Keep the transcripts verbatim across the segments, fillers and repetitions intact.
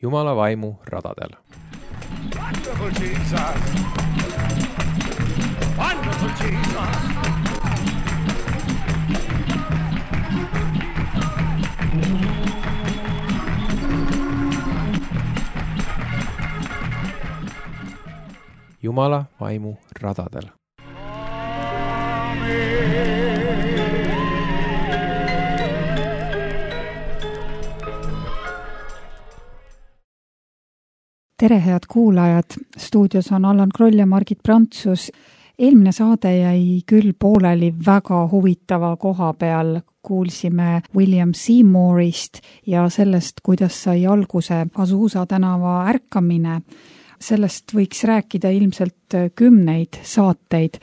Jumala vaimu radadel. Wonderful Jesus! Wonderful Jesus! Jumala vaimu radadel. Tere, head kuulajad! Stuudios on Allan Kroll ja Margit Prantsus. Eelmine saade jäi küll pooleli väga huvitava koha peal. Kuulsime William Seymourist ja sellest, kuidas sai alguse Azusa tänava ärkamine. Sellest võiks rääkida ilmselt kümneid saateid.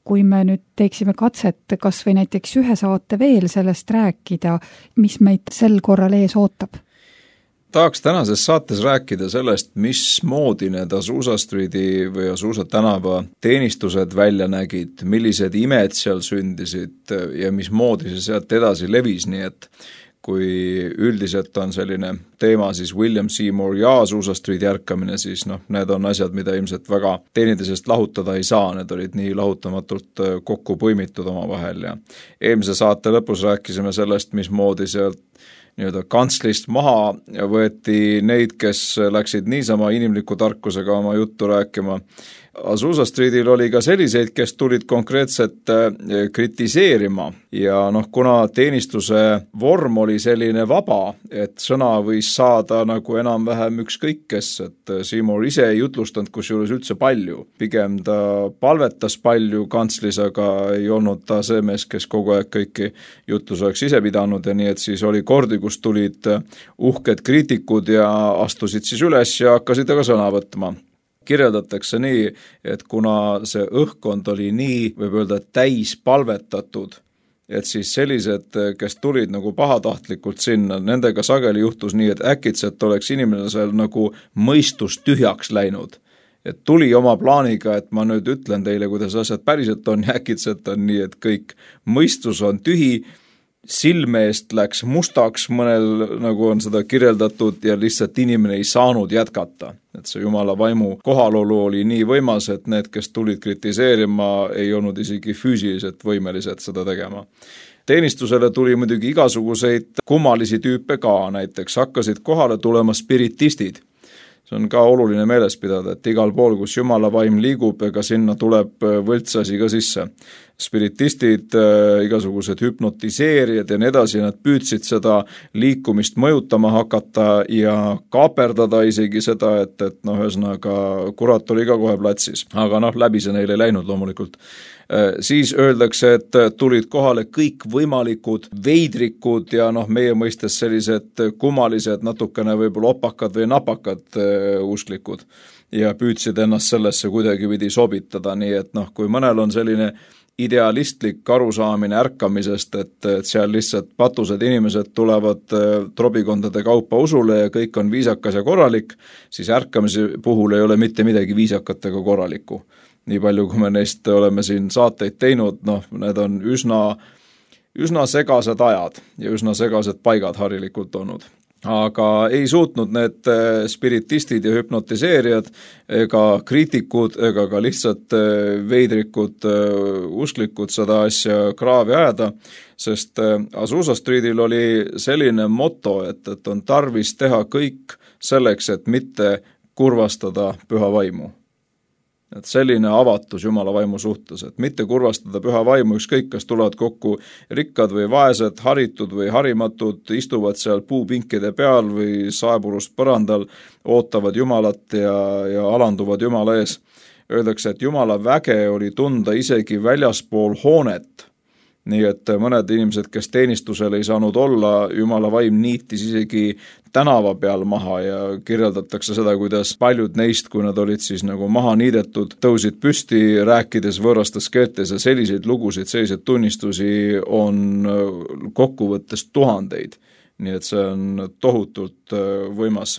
Kui me nüüd teeksime katset kas või näiteks ühe saate veel sellest rääkida, mis meid sel korral ees ootab? Tahaks tänases saates rääkida sellest, mismoodi need Azusa Streeti või Azusa tänava teenistused välja nägid, millised imed seal sündisid ja mismoodi see sealt edasi levis, nii et kui üldiselt on selline teema siis William Seymour ja Azusa Streeti ärkamine, siis noh, need on asjad, mida ilmselt väga teineteisest lahutada ei saa, need olid nii lahutamatult kokku põimitud oma vahel ja eelmise saate lõpus rääkisime sellest, mismoodi sealt nii-öelda kantslist maha võeti neid, kes läksid niisama inimliku tarkusega oma juttu rääkima. Azusa Streetil oli ka selliseid, kes tulid konkreetselt kritiseerima ja noh, kuna teenistuse vorm oli selline vaba, et sõna võis saada nagu enam-vähem ükskõik kes, et Seymour ise ei jutlustanud kusjuures üldse palju. Pigem ta palvetas palju kantslis, aga ei olnud ta see mees, kes kogu aeg kõiki jutlus oleks ise pidanud ja nii, et siis oli kordi, kus tulid uhked kriitikud ja astusid siis üles ja hakkasid aga sõna võtma. Kirjeldatakse nii, et kuna see õhkkond oli nii, võib öelda, täis palvetatud, et siis sellised, kes tulid nagu pahatahtlikult sinna, nendega sageli juhtus nii, et äkitselt oleks inimene seal nagu mõistus tühjaks läinud. Et tuli oma plaaniga, et ma nüüd ütlen teile, kuidas asjad päriselt on ja äkitselt on nii, et kõik mõistus on tühi, silme eest läks mustaks, mõnel nagu on seda kirjeldatud ja lihtsalt inimene ei saanud jätkata. Et see Jumala vaimu kohalolu oli nii võimas, et need, kes tulid kritiseerima, ei olnud isegi füüsiliselt võimelised seda tegema. Teenistusele tuli muidugi igasuguseid kummalisi tüüpe ka, näiteks hakkasid kohale tulema spiritistid. See on ka oluline meeles pidada, et igal pool, kus Jumala vaim liigub, ega sinna tuleb võltsasi ka sisse. Spiritistid, igasugused hüpnotiseerijad ja nii edasi, nad püüdsid seda liikumist mõjutama hakata ja kaaperdada isegi seda, et, et noh, ühesõnaga kurat oli ka kohe platsis. Aga noh, läbi see neile ei läinud loomulikult. Siis öeldakse, et tulid kohale kõik võimalikud veidrikud ja noh, meie mõistes sellised kummalised, natukene võib-olla opakad või napakad usklikud ja püüdsid ennast sellesse kuidagi pidi sobitada, nii et noh, kui mõnel on selline idealistlik arusaamine ärkamisest, et, et seal lihtsalt patused inimesed tulevad trobikondade kaupa usule ja kõik on viisakas ja korralik, siis ärkamise puhul ei ole mitte midagi viisakat ega korralikku. Nii palju, kui me neist oleme siin saateid teinud, noh, need on üsna, üsna segased ajad ja üsna segased paigad harilikult olnud. Aga ei suutnud need spiritistid ja hüpnotiseerijad ega kriitikud ega ka lihtsalt veidrikud usklikud seda asja kraavi ajada, sest Azusa Streetil oli selline motto, et, et on tarvis teha kõik selleks, et mitte kurvastada püha vaimu. Et selline avatus Jumala vaimu suhtes, et mitte kurvastada püha vaimu, ükskõik kas tulevad kokku rikkad või vaesed, haritud või harimatud, istuvad seal puupinkide peal või saepurust põrandal, ootavad Jumalat ja, ja alanduvad Jumala ees. Öeldakse, et Jumala väge oli tunda isegi väljaspool hoonet. Nii et mõned inimesed, kes teenistusel ei saanud olla, Jumala vaim niitis isegi tänava peal maha ja kirjeldatakse seda, kuidas paljud neist, kui nad olid siis nagu maha niidetud, tõusid püsti rääkides võõrastes keeltes ja selliseid lugusid, selliseid tunnistusi on kokkuvõttes tuhandeid. Nii et see on tohutult võimas.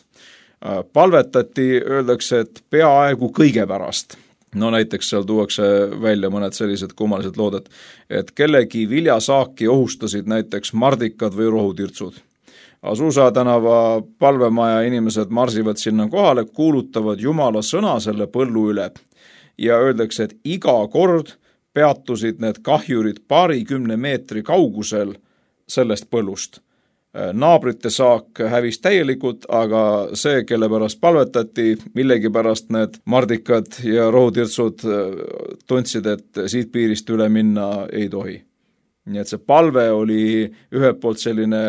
Palvetati, öeldakse, et peaaegu kõige pärast. No näiteks seal tuuakse välja mõned sellised kummalised lood, et kellegi viljasaaki ohustasid näiteks mardikad või rohutirtsud. Azusa tänava palvemaja inimesed marsivad sinna kohale, kuulutavad Jumala sõna selle põllu üle ja öeldakse, et iga kord peatusid need kahjurid paarikümne meetri kaugusel sellest põllust. Naabrite saak hävis täielikult, aga see, kelle pärast palvetati, millegi pärast need mardikad ja rohutirtsud tundsid, et siit piirist üle minna ei tohi. Nii et see palve oli ühelt poolt selline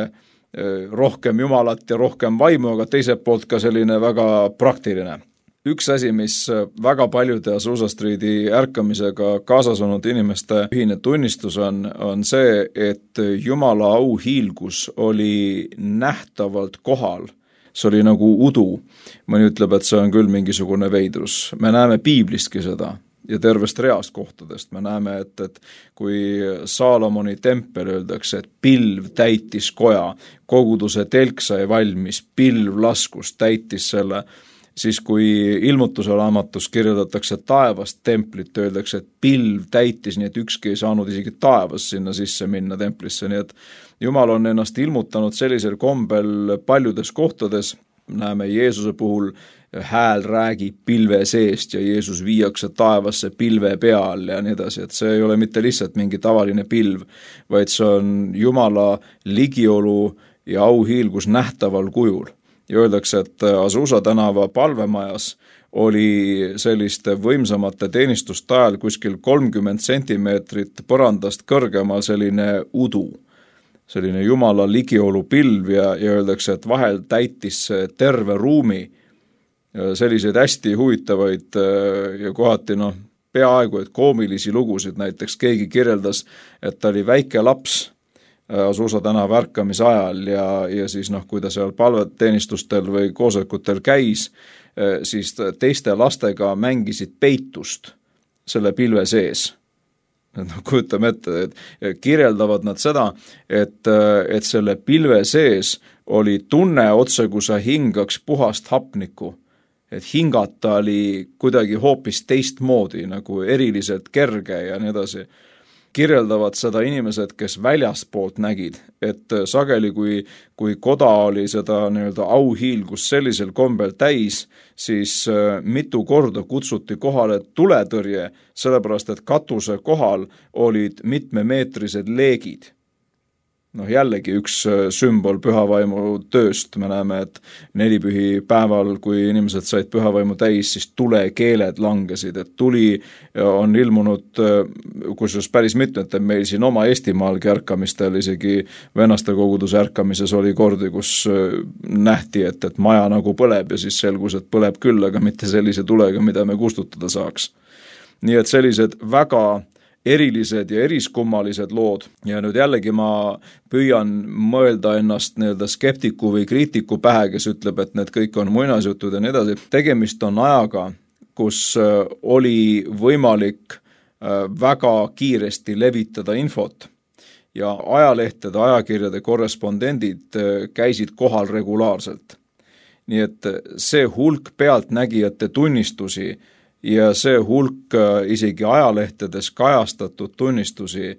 rohkem Jumalat ja rohkem vaimu, aga teiselt poolt ka selline väga praktiline. Üks asi, mis väga paljude Azusa Streeti ärkamisega kaasas olnud inimeste ühine tunnistus on, on see, et Jumala auhiilgus oli nähtavalt kohal. See oli nagu udu. Mõni ütleb, et see on küll mingisugune veidrus. Me näeme piiblistki seda ja tervest reast kohtadest. Me näeme, et, et kui Saalomoni tempel öeldakse, et pilv täitis koja, koguduse telk sai valmis, pilv laskus, täitis selle, siis kui ilmutuse raamatus kirjeldatakse taevast templit, öeldakse, et pilv täitis, nii et ükski ei saanud isegi taevas sinna sisse minna templisse, nii et Jumal on ennast ilmutanud sellisel kombel paljudes kohtades, näeme Jeesuse puhul hääl räägib pilve seest ja Jeesus viiakse taevasse pilve peal ja nii edasi, et see ei ole mitte lihtsalt mingi tavaline pilv, vaid see on Jumala ligiolu ja auhiilgus nähtaval kujul. Ja öeldakse, et Azusa tänava palvemajas oli selliste võimsamate teenistuste ajal kuskil kolmkümmend sentimeetrit põrandast kõrgemal selline udu, selline Jumala ligiolu pilv ja, ja öeldakse, et vahel täitis terve ruumi selliseid hästi huvitavaid ja kohati noh, peaaegu et koomilisi lugusid, näiteks keegi kirjeldas, et ta oli väike laps Azusa tänava ärkamise ajal ja, ja siis noh, kui ta seal palveteenistustel või koosolekutel käis, siis teiste lastega mängisid peitust selle pilve sees. No, kujutame ette, et kirjeldavad nad seda, et, et selle pilve sees oli tunne otse, kui sa hingaks puhast hapnikku. Et hingata oli kuidagi hoopis teistmoodi, nagu eriliselt kerge ja nii edasi. Kirjeldavad seda inimesed, kes väljaspoolt nägid, et sageli, kui, kui koda oli seda nii-öelda auhiilgus sellisel kombel täis, siis mitu korda kutsuti kohale tuletõrje, sellepärast et katuse kohal olid mitmemeetrised leegid. Noh, jällegi üks sümbol pühavaimu tööst. Me näeme, et nelipühi päeval, kui inimesed said pühavaimu täis, siis tulekeeled langesid, et tuli on ilmunud, kusjuures päris mitmete meil siin oma Eestimaalgi ärkamistel, isegi vennaste koguduse ärkamises oli kordi, kus nähti, et, et maja nagu põleb ja siis selgus, et põleb küll, aga mitte sellise tulega, mida me kustutada saaks. Nii et sellised väga erilised ja eriskummalised lood ja nüüd jällegi ma püüan mõelda ennast nii-öelda skeptiku või kriitiku pähe, kes ütleb, et need kõik on muinasjutud ja nii edasi. Tegemist on ajaga, kus oli võimalik väga kiiresti levitada infot ja ajalehtede, ajakirjade korrespondendid käisid kohal regulaarselt. Nii et see hulk pealtnägijate tunnistusi ja see hulk isegi ajalehtedes kajastatud tunnistusi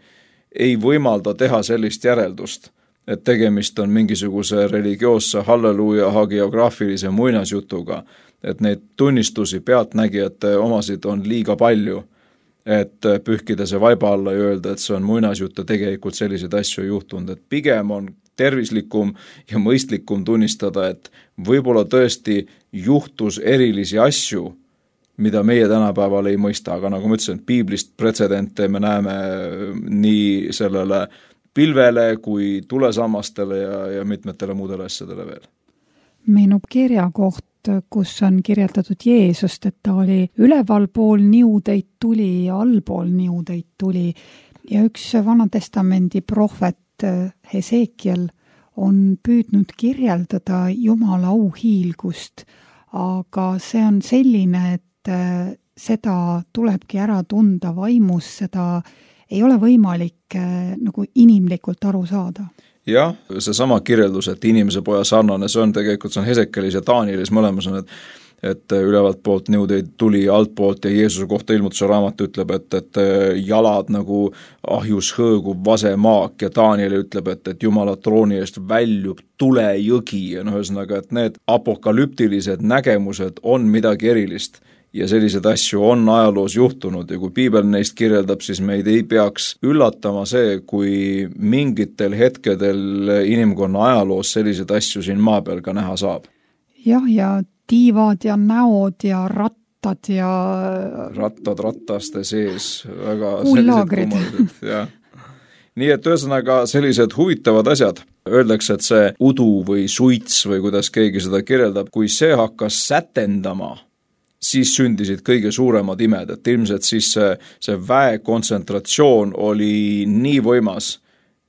ei võimalda teha sellist järeldust, et tegemist on mingisuguse religioosse halleluuja hagiograafilise muinasjutuga, et neid tunnistusi pealtnägijate omasid on liiga palju, et pühkida see vaiba alla ja öelda, et see on muinasjut ja tegelikult selliseid asju juhtunud, et pigem on tervislikum ja mõistlikum tunnistada, et võib-olla tõesti juhtus erilisi asju, mida meie tänapäeval ei mõista, aga nagu ma ütlesin, piiblist pretsedente me näeme nii sellele pilvele kui tulesammastele ja, ja mitmetele muudele asjadele veel. Meenub kirja koht, kus on kirjeldatud Jeesust, et ta oli üleval pool niudeid tuli ja allpool niudeid tuli ja üks Vanatestamendi prohvet Hesekiel on püüdnud kirjeldada Jumala auhiilgust, aga see on selline, et seda tulebki ära tunda vaimus, seda ei ole võimalik nagu inimlikult aru saada. Jah, see sama kirjeldus, et inimese poja sarnane, see on tegelikult, see on Hesekelis ja Daanielis mõlemas on, et et ülevalt poolt nõudeid tuli alt poolt ja Jeesuse kohta ilmutuse raamat ütleb, et, et jalad nagu ahjus hõõgub vasemaak ja Daniel ütleb, et, et Jumala trooni eest väljub tulejõgi ja noh, ühesõnaga, et need apokalüptilised nägemused on midagi erilist. Ja sellised asju on ajaloos juhtunud ja kui piibel neist kirjeldab, siis meid ei peaks üllatama see, kui mingitel hetkedel inimkonna ajaloos sellised asju siin maa peal ka näha saab. Jah, ja tiivad ja näod ja rattad ja... Rattad rattaste sees, väga kuullaagrid. Ja. Nii et ühesõnaga sellised huvitavad asjad. Öeldakse, et see udu või suits või kuidas keegi seda kirjeldab, kui see hakkas sätendama, siis sündisid kõige suuremad imed, et ilmselt siis see, see väe kontsentratsioon oli nii võimas,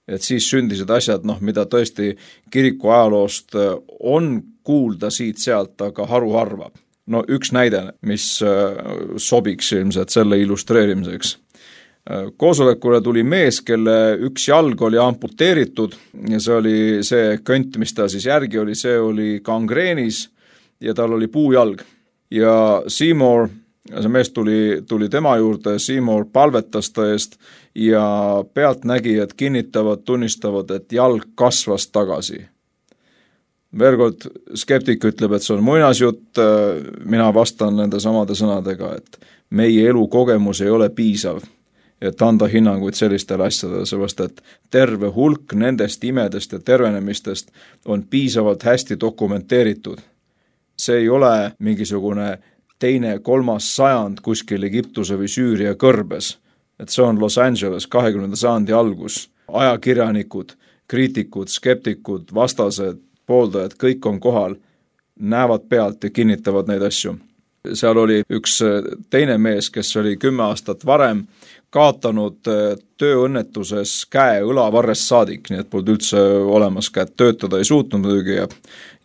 et siis sündisid asjad, noh, mida tõesti kiriku ajaloost on kuulda siit-sealt, aga haruharva. No üks näide, mis sobiks ilmselt selle illustreerimiseks. Koosolekule tuli mees, kelle üks jalg oli amputeeritud ja see oli see kõnt, mis ta siis järgi oli, see oli gangreenis ja tal oli puujalg. Ja Seymour, see mees tuli, tuli tema juurde, Seymour palvetas ta eest ja pealtnägijad kinnitavad, tunnistavad, et jalg kasvas tagasi. Veel kord, skeptik ütleb, et see on muinasjutt, mina vastan nende samade sõnadega, et meie elukogemus ei ole piisav, et anda hinnanguid sellistele asjadele, sellepärast et terve hulk nendest imedest ja tervenemistest on piisavalt hästi dokumenteeritud. See ei ole mingisugune teine, kolmas sajand kuskil Egiptuse või Süüria kõrbes, et see on Los Angeles kahekümnenda sajandi algus. Ajakirjanikud, kriitikud, skeptikud, vastased, pooldajad, kõik on kohal, näevad pealt ja kinnitavad neid asju. Seal oli üks teine mees, kes oli kümme aastat varem kaotanud tööõnnetuses käe õlavarrest saadik, nii et polnud üldse olemas käed, töötada ei suutnud muidugi ja,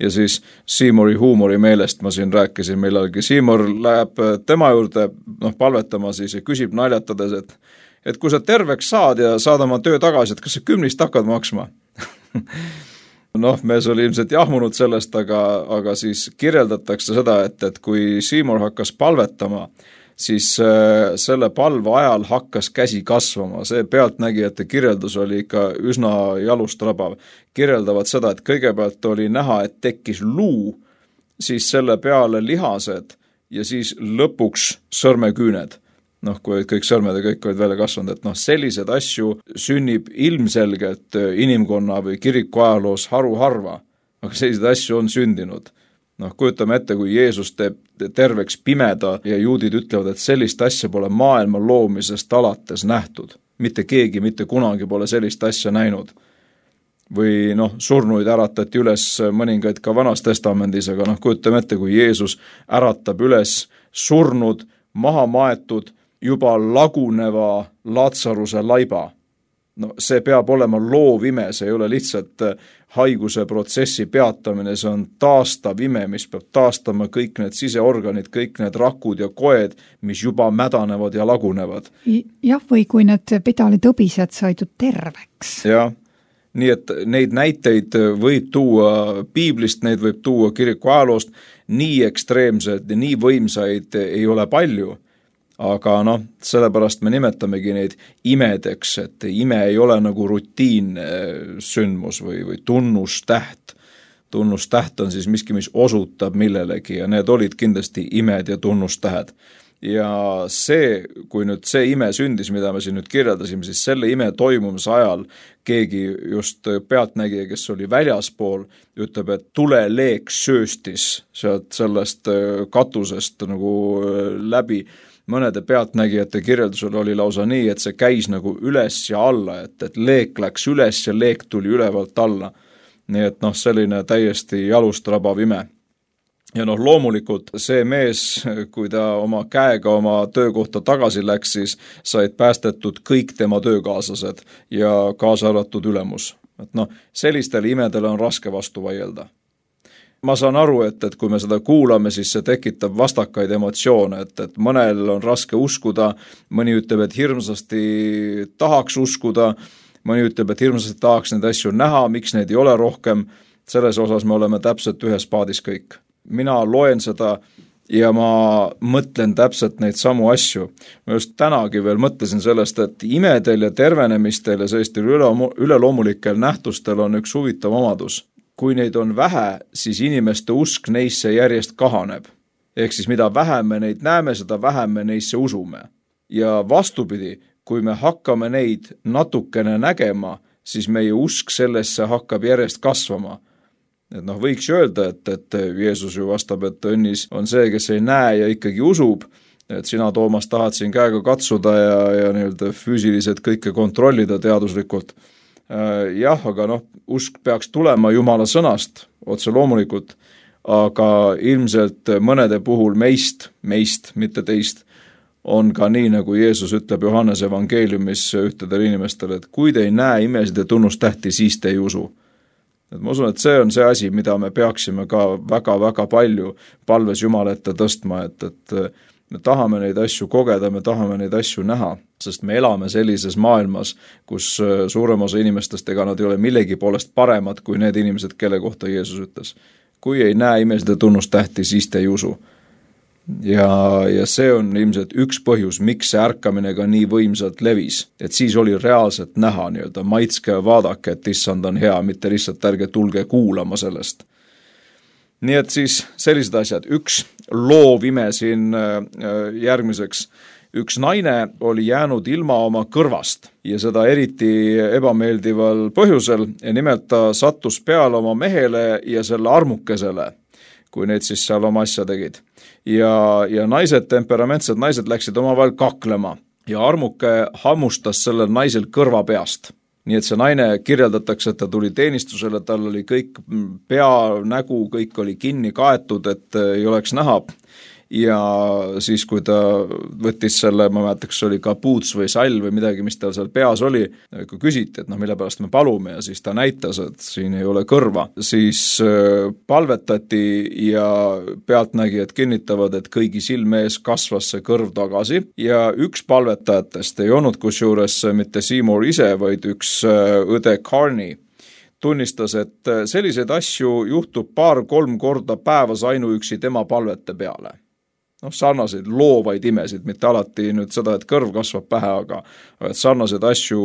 ja siis Seymouri huumori meelest ma siin rääkisin millalgi. Seymour läheb tema juurde noh, palvetama siis ja küsib naljatades, et, et kui sa terveks saad ja saad oma töö tagasi, et kas sa kümnist hakkad maksma? Noh, mees oli ilmselt jahmunud sellest, aga, aga siis kirjeldatakse seda, et, et kui Seymour hakkas palvetama, siis äh, selle palve ajal hakkas käsi kasvama. See pealtnägijate kirjeldus oli ikka üsna jalustrabav. Kirjeldavad seda, et kõigepealt oli näha, et tekkis luu, siis selle peale lihased ja siis lõpuks sõrmeküüned. Noh, kui kõik sõrmed ja kõik olid välja kasvanud, et noh, sellised asju sünnib ilmselgelt inimkonna või kiriku ajaloos haruharva, aga sellised asju on sündinud. Noh, kujutame ette, kui Jeesus teeb terveks pimeda ja juudid ütlevad, et sellist asja pole maailma loomisest alates nähtud. Mitte keegi, mitte kunagi pole sellist asja näinud. Või noh, surnuid äratati üles mõningaid ka Vanas Testamendis, aga noh, kujutame ette, kui Jeesus äratab üles surnud, maha maetud, juba laguneva Laatsaruse laiba. No see peab olema loovime, see ei ole lihtsalt haiguse protsessi peatamine, see on taastav ime, mis peab taastama kõik need siseorganid, kõik need rakud ja koed, mis juba mädanevad ja lagunevad. Jah, või kui need pedalitõbised said ju terveks. Jah, nii et neid näiteid võib tuua piiblist, neid võib tuua kiriku ajaloost, nii ekstreemsed ja nii võimsaid ei ole palju. Aga noh, sellepärast me nimetamegi neid imedeks, et ime ei ole nagu rutiinne sündmus või, või tunnustäht. Tunnustäht on siis miski, mis osutab millelegi ja need olid kindlasti imed ja tunnustähed. Ja see, kui nüüd see ime sündis, mida me siin nüüd kirjeldasime, siis selle ime toimumise ajal keegi just pealtnägija, kes oli väljaspool, ütleb, et tuleleek sööstis sealt sellest katusest nagu läbi. Mõnede pealtnägijate kirjeldusel oli lausa nii, et see käis nagu üles ja alla, et, et leek läks üles ja leek tuli ülevalt alla. Nii et noh, selline täiesti jalust rabav ime. Ja noh, loomulikult see mees, kui ta oma käega oma töökohta tagasi läks, siis said päästetud kõik tema töökaaslased ja kaasa arvatud ülemus. Et noh, sellistele imedele on raske vastu vaielda. Ma saan aru, et, et kui me seda kuulame, siis see tekitab vastakaid emotsioone, et, et mõnel on raske uskuda, mõni ütleb, et hirmsasti tahaks uskuda, mõni ütleb, et hirmsasti tahaks neid asju näha, miks neid ei ole rohkem, selles osas me oleme täpselt ühes paadis kõik. Mina loen seda ja ma mõtlen täpselt neid samu asju. Ma just tänagi veel mõtlesin sellest, et imedel ja tervenemistel ja sellistel üleloomulikel nähtustel on üks huvitav omadus. Kui neid on vähe, siis inimeste usk neisse järjest kahaneb. Ehk siis mida vähem me neid näeme, seda vähem me neisse usume. Ja vastupidi, kui me hakkame neid natukene nägema, siis meie usk sellesse hakkab järjest kasvama. Et noh, võiks öelda, et, et Jeesus ju vastab, et õnnis on see, kes ei näe ja ikkagi usub, et sina, Toomas, tahad siin käega katsuda ja, ja nii-öelda füüsiliselt kõike kontrollida teaduslikult. Jah, aga noh, usk peaks tulema Jumala sõnast, otse loomulikult, aga ilmselt mõnede puhul meist, meist, mitte teist, on ka nii, nagu Jeesus ütleb Johannese evangeeliumis ühtedel inimestel, et kui te ei näe imesid ja tunnustähti, siis te ei usu. Et ma usun, et see on see asi, mida me peaksime ka väga-väga palju palves Jumala ette tõstma, et, et me tahame neid asju kogeda, me tahame neid asju näha, sest me elame sellises maailmas, kus suurem osa inimestest, ega nad ei ole millegi poolest paremad kui need inimesed, kelle kohta Jeesus ütles. Kui ei näe imesid ja tunnustähti, siis te ei usu. Ja, ja see on ilmselt üks põhjus, miks see ärkamine ka nii võimsalt levis. Et siis oli reaalselt näha nii-öelda, maitske ja vaadake, et issand on hea, mitte lihtsalt ärge tulge kuulama sellest. Nii et siis sellised asjad. Üks loov ime siin järgmiseks. Üks naine oli jäänud ilma oma kõrvast ja seda eriti ebameeldival põhjusel ja nimelt ta sattus peale oma mehele ja selle armukesele, kui need siis seal oma asja tegid. Ja, ja naised, temperamentsed naised läksid omavahel kaklema ja armuke hammustas sellel naisel kõrva peast. Nii et see naine kirjeldatakse, et ta tuli teenistusele, tal oli kõik pea, nägu, kõik oli kinni kaetud, et ei oleks näha. Ja siis, kui ta võttis selle, ma mäletaks, oli kapuuts või sall või midagi, mis tal seal peas oli, kui küsiti, et noh, mille pärast me palume ja siis ta näitas, et siin ei ole kõrva, siis palvetati ja pealtnägijad kinnitavad, et kõigi silme ees kasvas see kõrv tagasi ja üks palvetajatest ei olnud kusjuures mitte Seymour ise, vaid üks õde Carney tunnistas, et selliseid asju juhtub paar-kolm korda päevas ainuüksi tema palvete peale. Noh, sarnaseid loovaid imesid, mitte alati nüüd seda, et kõrv kasvab pähe, aga et sarnaseid asju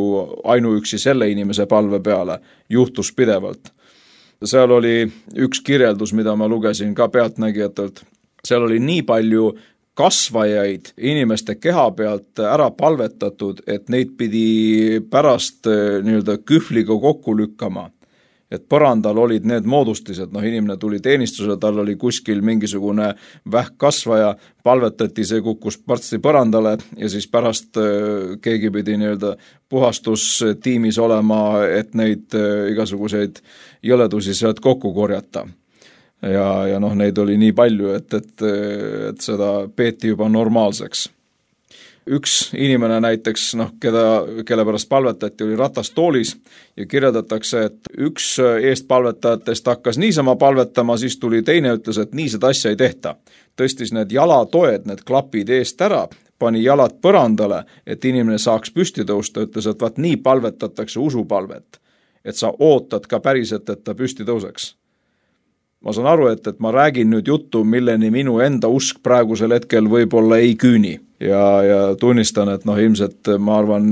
ainuüksi selle inimese palve peale juhtus pidevalt. Seal oli üks kirjeldus, mida ma lugesin ka pealtnägijatelt. Seal oli nii palju kasvajaid inimeste keha pealt ära palvetatud, et neid pidi pärast nii-öelda kühvliga kokku lükkama. Et põrandal olid need moodustised, noh inimene tuli teenistusele, tal oli kuskil mingisugune vähkkasvaja, palvetati, see kukkus partsti põrandale ja siis pärast keegi pidi nii-öelda puhastustiimis olema, et neid igasuguseid jõledusi sealt kokku korjata. Ja, ja noh, neid oli nii palju, et, et, et seda peeti juba normaalseks. Üks inimene näiteks, noh, keda, kelle pärast palvetati, oli ratastoolis ja kirjeldatakse, et üks eest palvetajatest hakkas niisama palvetama, siis tuli teine, ütles, et nii seda asja ei tehta. Tõstis need jalatoed, need klapid eest ära, pani jalad põrandale, et inimene saaks püsti tõusta, ütles, et vaat nii palvetatakse usupalvet, et sa ootad ka päriselt, et ta püsti tõuseks. Ma saan aru, et, et ma räägin nüüd juttu, milleni minu enda usk praegusel hetkel võib-olla ei küüni. Ja, ja tunnistan, et noh, ilmselt ma arvan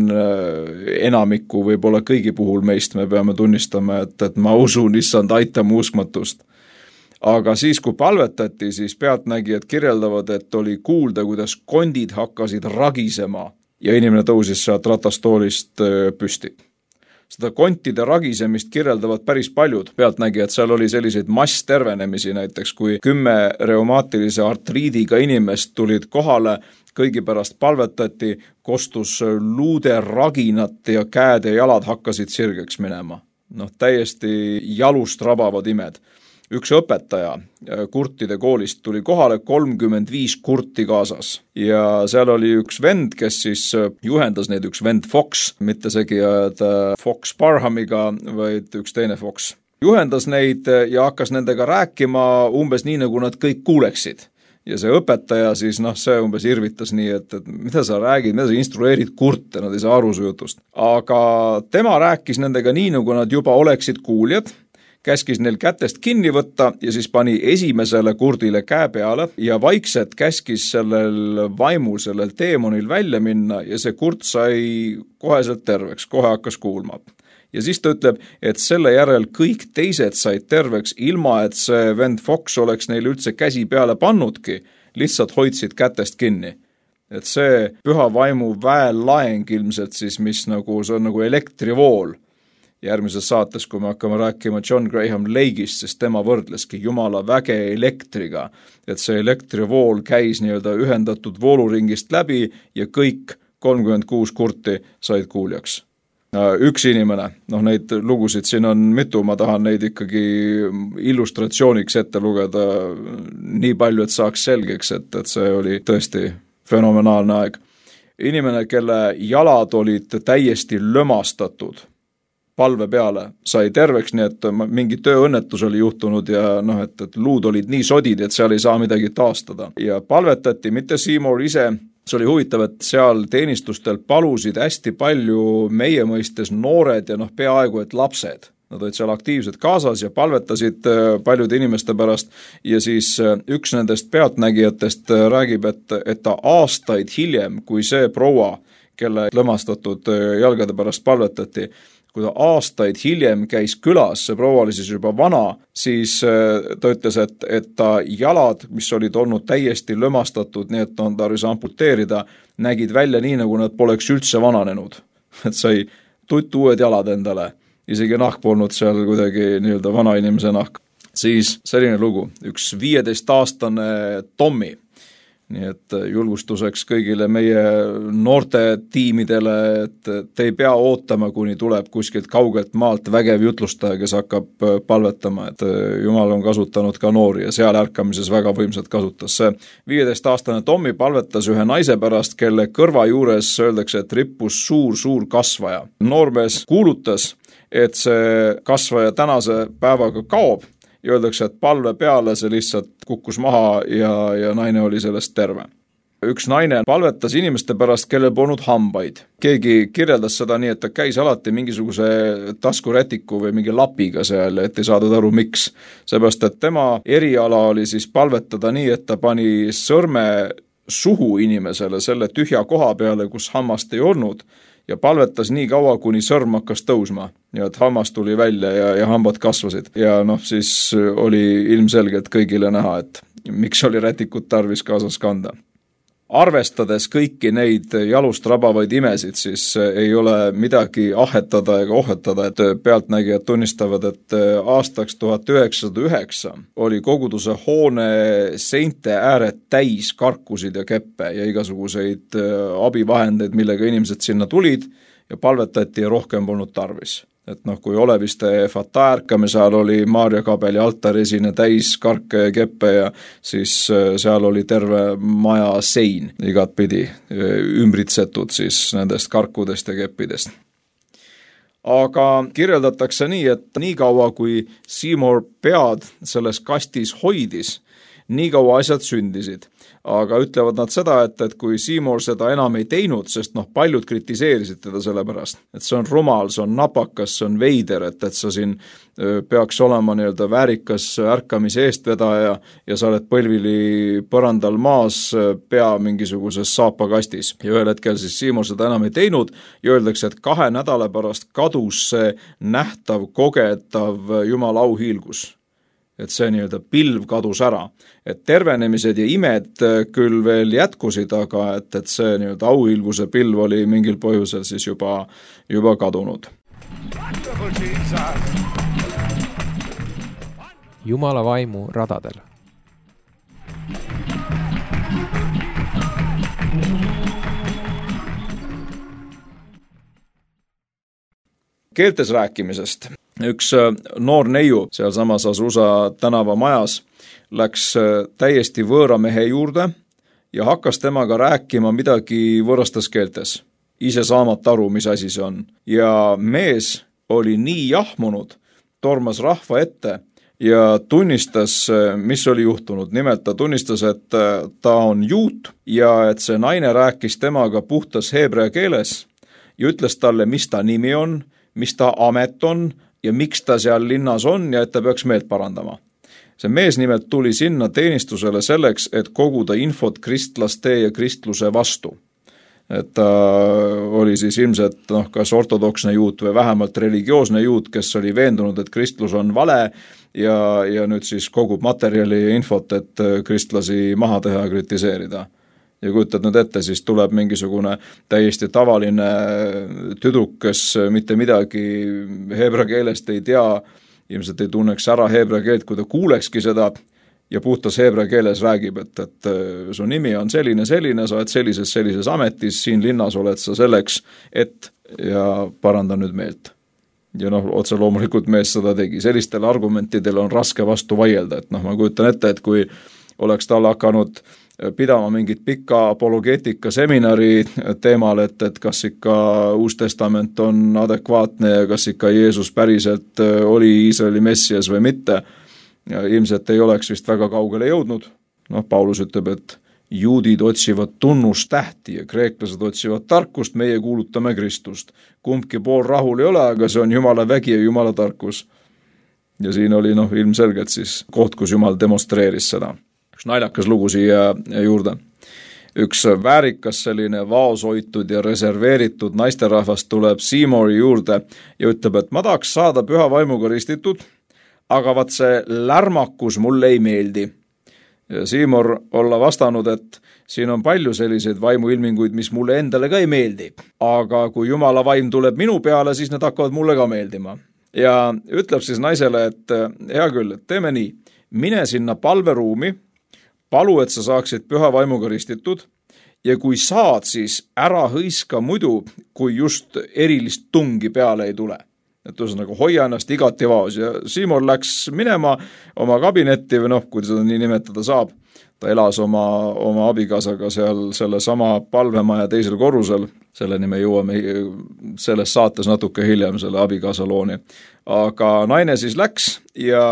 enamiku võib-olla kõigi puhul meist me peame tunnistama, et, et ma usun, issand, aita mu uskmatust. Aga siis, kui palvetati, siis pealtnägijad kirjeldavad, et oli kuulda, kuidas kondid hakkasid ragisema ja inimene tõusis sealt ratastoolist püsti. Seda kontide ragisemist kirjeldavad päris paljud pealtnägijad, seal oli selliseid masstervenemisi näiteks, kui kümme reumaatilise artriidiga inimest tulid kohale, kõigi pärast palvetati, kostus luude raginat ja käed ja jalad hakkasid sirgeks minema. Noh, täiesti jalust rabavad imed. Üks õpetaja kurtide koolist tuli kohale, kolmkümmend viis kurti kaasas ja seal oli üks vend, kes siis juhendas neid, üks vend Fox, mitte segi ajada Fox Parhamiga, vaid üks teine Fox. Juhendas neid ja hakkas nendega rääkima umbes nii, nagu nad kõik kuuleksid. Ja see õpetaja siis, noh, see umbes irvitas nii, et, et mida sa räägid, mida sa instrueerid kurte, nad ei saa aru su jutust. Aga tema rääkis nendega nii, nagu nad juba oleksid kuuljad, käskis neil kätest kinni võtta ja siis pani esimesele kurdile käe peale ja vaikselt käskis sellel vaimul, sellel teemonil välja minna ja see kurt sai koheselt terveks, kohe hakkas kuulma. Ja siis ta ütleb, et selle järel kõik teised said terveks, ilma et see vend Fox oleks neile üldse käsi peale pannudki, lihtsalt hoidsid kätest kinni. Et see püha vaimu väelaeng ilmselt siis, mis nagu, see on nagu elektrivool. Järgmises saates, kui me hakkame rääkima John Graham Lake'ist, siis tema võrdleski jumala väge elektriga, et see elektrivool käis nii-öelda ühendatud vooluringist läbi ja kõik kolmkümmend kuus kurti said kuuljaks. Üks inimene, noh neid lugusid siin on mitu, ma tahan neid ikkagi illustratsiooniks ette lugeda nii palju, et saaks selgeks, et, et see oli tõesti fenomenaalne aeg. Inimene, kelle jalad olid täiesti lömastatud palve peale, sai terveks, nii et mingi tööõnnetus oli juhtunud ja noh, et, et luud olid nii sodid, et seal ei saa midagi taastada. Ja palvetati, mitte Seymour ise, see oli huvitav, et seal teenistustel palusid hästi palju meie mõistes noored ja noh, peaaegu et lapsed. Nad olid seal aktiivsed kaasas ja palvetasid paljude inimeste pärast ja siis üks nendest pealtnägijatest räägib, et, et ta aastaid hiljem, kui see proua, kelle lõmastatud jalgade pärast palvetati, kui ta aastaid hiljem käis külas, see proua oli siis juba vana, siis ta ütles, et, et ta jalad, mis olid olnud täiesti lömastatud, nii et on tarvis amputeerida, nägid välja nii, nagu nad poleks üldse vananenud. Et sai tutt uued jalad endale, isegi nahk polnud seal kuidagi nii-öelda vana inimese nahk. Siis selline lugu, üks viieteist-aastane Tommy, nii et julgustuseks kõigile meie noorte tiimidele, et te ei pea ootama, kuni tuleb kuskilt kaugelt maalt vägev jutlustaja, kes hakkab palvetama, et Jumal on kasutanud ka noori ja seal ärkamises väga võimsalt kasutas. See viieteist-aastane Tommy palvetas ühe naise pärast, kelle kõrva juures öeldakse, et rippus suur-suur kasvaja. Noormees kuulutas, et see kasvaja tänase päevaga kaob, ja öeldakse, et palve peale see lihtsalt kukkus maha ja, ja naine oli sellest terve. Üks naine palvetas inimeste pärast, kellel polnud hambaid. Keegi kirjeldas seda nii, et ta käis alati mingisuguse taskurätiku või mingi lapiga seal, et ei saadud aru miks. Seepärast, et tema eriala oli siis palvetada nii, et ta pani sõrme suhu inimesele selle tühja koha peale, kus hammast ei olnud, ja palvetas nii kaua, kuni sõrm hakkas tõusma ja et hammas tuli välja ja, ja hambad kasvasid. Ja noh, siis oli ilmselgelt kõigile näha, et miks oli rätikut tarvis kaasas kanda. Arvestades kõiki neid jalust rabavaid imesid, siis ei ole midagi ahetada ega ohetada, et pealtnägijad tunnistavad, et aastaks tuhat üheksasada üheksa oli koguduse hoone seinte ääred täis karkusid ja keppe ja igasuguseid abivahendeid, millega inimesed sinna tulid ja palvetati ja rohkem polnud tarvis. Et noh, kui Oleviste Fata ärkame, seal oli Maarja Kabeli altaresine täis karke ja keppe ja siis seal oli terve maja sein igat pidi ümbritsetud siis nendest karkudest ja keppidest. Aga kirjeldatakse nii, et nii kaua kui Seymour pead selles kastis hoidis, nii kaua asjad sündisid. Aga ütlevad nad seda, et, et kui Seymour seda enam ei teinud, sest noh, paljud kritiseerisid teda selle pärast, et see on rumal, see on napakas, see on veider, et, et sa siin peaks olema nii-öelda väärikas ärkamise eestvedaja ja sa oled põlvili põrandal maas pea mingisuguses saapakastis. Ja ühel hetkel siis Seymour seda enam ei teinud ja öeldakse, et kahe nädala pärast kadus see nähtav, kogetav Jumala auhiilgus. Et see nii-öelda pilv kadus ära. Et tervenemised ja imed küll veel jätkusid, aga et, et see nii-öelda auhiilguse pilv oli mingil põhjusel siis juba, juba kadunud. Jumala vaimu radadel. Keeltes rääkimisest. Üks noor neiu seal samas Azusa tänava majas läks täiesti võõra mehe juurde ja hakkas temaga rääkima midagi võõrastes keeltes, ise saamata aru, mis asi see on. Ja mees oli nii jahmunud, tormas rahva ette ja tunnistas, mis oli juhtunud. Nimelt ta tunnistas, et ta on juut ja et see naine rääkis temaga puhtas heebrea keeles ja ütles talle, mis ta nimi on, mis ta amet on, ja miks ta seal linnas on ja et ta peaks meelt parandama. See mees nimelt tuli sinna teenistusele selleks, et koguda infot kristlaste ja kristluse vastu. Et ta oli siis ilmselt noh, kas ortodoksne juut või vähemalt religioosne juut, kes oli veendunud, et kristlus on vale ja, ja nüüd siis kogub materjali ja infot, et kristlasi maha teha ja kritiseerida. Ja kujutad nüüd ette, siis tuleb mingisugune täiesti tavaline tüdruk, kes mitte midagi heebra keelest ei tea, ilmselt ei tunneks ära heebra keelt, kui ta kuulekski seda ja puhtas heebra keeles räägib, et, et su nimi on selline, selline, sa oled sellises, sellises ametis, siin linnas oled sa selleks, et ja paranda nüüd meelt. Ja noh, otse loomulikult mees seda tegi. Sellistel argumentidel on raske vastu vaielda, et noh, ma kujutan ette, et kui oleks tal hakanud pidama mingit pika apologeetika seminari teemal, et, et kas ikka Uus Testament on adekvaatne ja kas ikka Jeesus päriselt oli Iisraeli messias või mitte, ja ilmselt ei oleks vist väga kaugele jõudnud. Noh, Paulus ütleb, et juudid otsivad tunnustähti ja kreeklased otsivad tarkust, meie kuulutame Kristust. Kumbki pool rahul ei ole, aga see on Jumala vägi ja Jumala tarkus. Ja siin oli noh, ilmselgelt siis koht, kus Jumal demonstreeris seda. Üks naljakas lugu siia juurde. Üks väärikas selline vaoshoitud ja reserveeritud naisterahvast tuleb Seymouri juurde ja ütleb, et ma tahaks saada püha vaimuga ristitud, aga vaat see lärmakus mulle ei meeldi. Ja Seymour olla vastanud, et siin on palju selliseid vaimuilminguid, mis mulle endale ka ei meeldi. Aga kui Jumala vaim tuleb minu peale, siis need hakkavad mulle ka meeldima. Ja ütleb siis naisele, et hea küll, et teeme nii, mine sinna palveruumi, palu, et sa saaksid püha vaimuga ristitud ja kui saad, siis ära hõiska muidu, kui just erilist tungi peale ei tule. Et ühesõnaga hoia ennast igati vaos ja Seymour läks minema oma kabinetti või noh, kui seda nii nimetada saab. Ta elas oma, oma abikaasaga seal selle sama palvemaja teisel korrusel, selleni me jõuame selles saates natuke hiljem selle abikaasa looni. Aga naine siis läks ja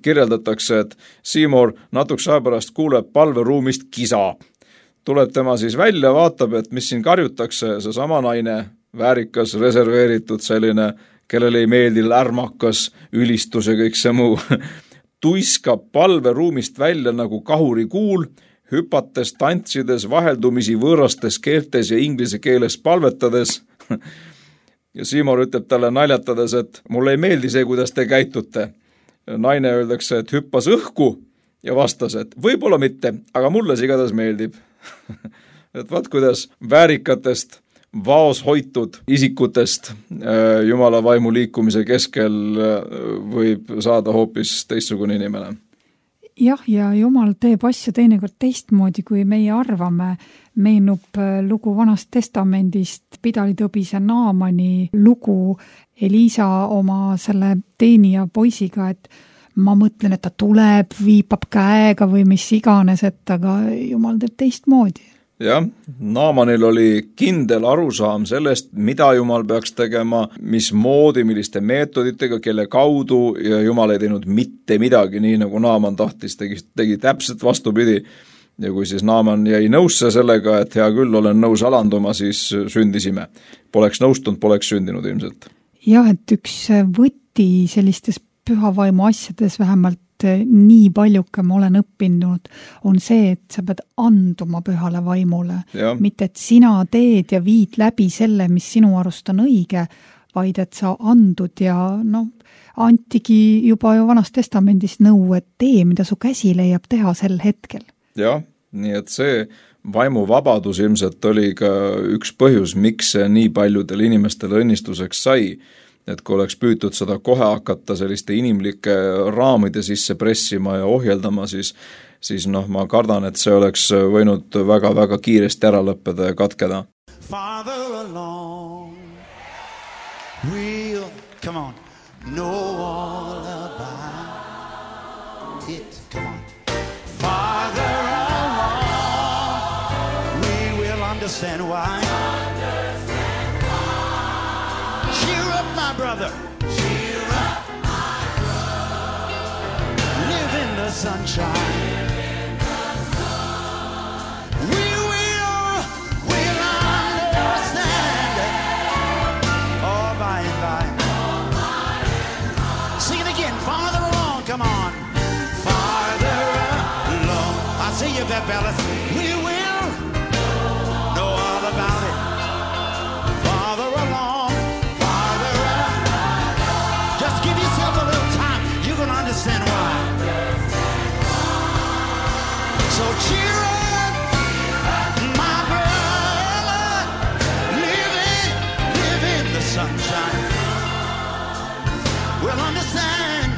kirjeldatakse, et Seymour natukese aja pärast kuuleb palveruumist kisa. Tuleb tema siis välja, vaatab, et mis siin karjutakse, see sama naine, väärikas, reserveeritud selline, kellele ei meeldi lärmakas, ülistus ja kõik see muu, tuiskab palveruumist välja nagu kahuri kuul, hüpates, tantsides, vaheldumisi võõrastes keeltes ja inglise keeles palvetades. Ja Seymour ütleb talle naljatades, et mulle ei meeldi see, kuidas te käitute. Naine öeldakse, et hüppas õhku ja vastas, et võib-olla mitte, aga mulle see igatahes meeldib. Et vaat kuidas väärikatest vaos hoitud isikutest Jumala vaimu liikumise keskel võib saada hoopis teistsugune inimene. Jah, ja Jumal teeb asju teinekord teistmoodi, kui meie arvame. Meenub lugu Vanast Testamendist, pidalitõbise Naamani lugu Elisa oma selle teenija poisiga, et ma mõtlen, et ta tuleb, viipab käega või mis iganes, et aga Jumal teeb teistmoodi. Jah, Naamanil oli kindel arusaam sellest, mida Jumal peaks tegema, mis moodi, milliste meetoditega, kelle kaudu ja Jumal ei teinud mitte midagi, nii nagu Naaman tahtis, tegi, tegi täpselt vastupidi. Ja kui siis Naaman jäi nõusse sellega, et hea küll, olen nõus alanduma, siis sündisime. Poleks nõustunud, poleks sündinud ilmselt. Jah, et üks võti sellistes pühavaimu asjades vähemalt nii paljuke ma olen õppinud, on see, et sa pead anduma pühale vaimule. Ja. Mitte, et sina teed ja viid läbi selle, mis sinu arust on õige, vaid et sa andud ja noh, antigi juba ju Vanast Testamendis nõu, et tee, mida su käsi leiab teha sel hetkel. Jah, nii et see vaimuvabadus ilmselt oli ka üks põhjus, miks see nii paljudel inimestel õnnistuseks sai. Et kui oleks püütud seda kohe hakata selliste inimlike raamide sisse pressima ja ohjeldama, siis, siis noh, ma kardan, et see oleks võinud väga-väga kiiresti ära lõppeda ja katkeda. Father alone, we'll, come on, know all about it, come on. Father alone, we will understand why. Brother, cheer up, my brother. Live in the sunshine. Live in the sun. We will, we'll understand. Oh, by and by. Oh, by and you, fellas. We will know all about it. Farther along, farther along. Just give yourself a little time. You're going to understand why. So cheer up, my brother. Live in, live in the sunshine. We'll understand.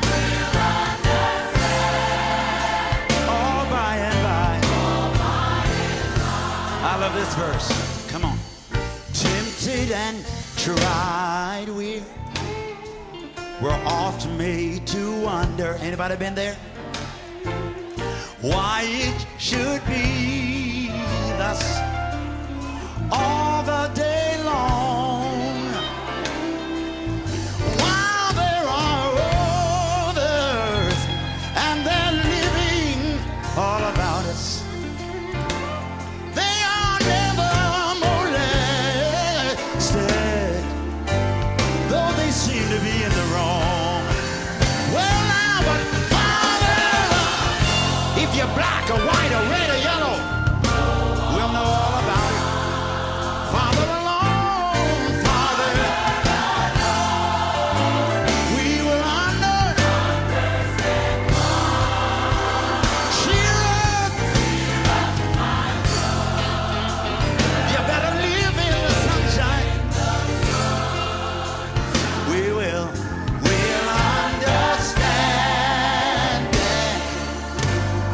All by and by. I love this verse. Come on. Tempted and tried, we're we're often made to wonder. Anybody been there? Why it should be thus all the day long, while there are others and they're living all about us. They are never molested, though they seem to be in the wrong. Well now, but Father, if you're black or white or red or yellow, we'll know all about it. Father alone, Father, we will understand. Cheer up. You better live in the sunshine. We will, we'll understand it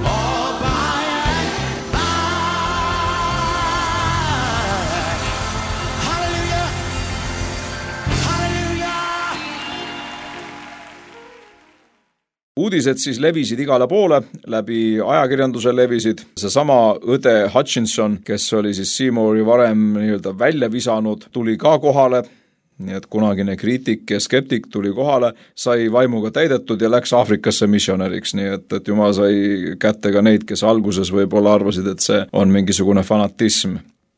all by and by. Hallelujah. Hallelujah. Uudised siis levisid igale poole, läbi ajakirjanduse levisid. Seesama õde Hutchinson, kes oli siis Seymouri varem nii-öelda välja visanud, tuli ka kohale. Nii et kunagine kriitik ja skeptik tuli kohale, sai vaimuga täidetud ja läks Aafrikasse missionäriks, nii et, et Jumal sai kätte ka neid, kes alguses võib-olla arvasid, et see on mingisugune fanatism.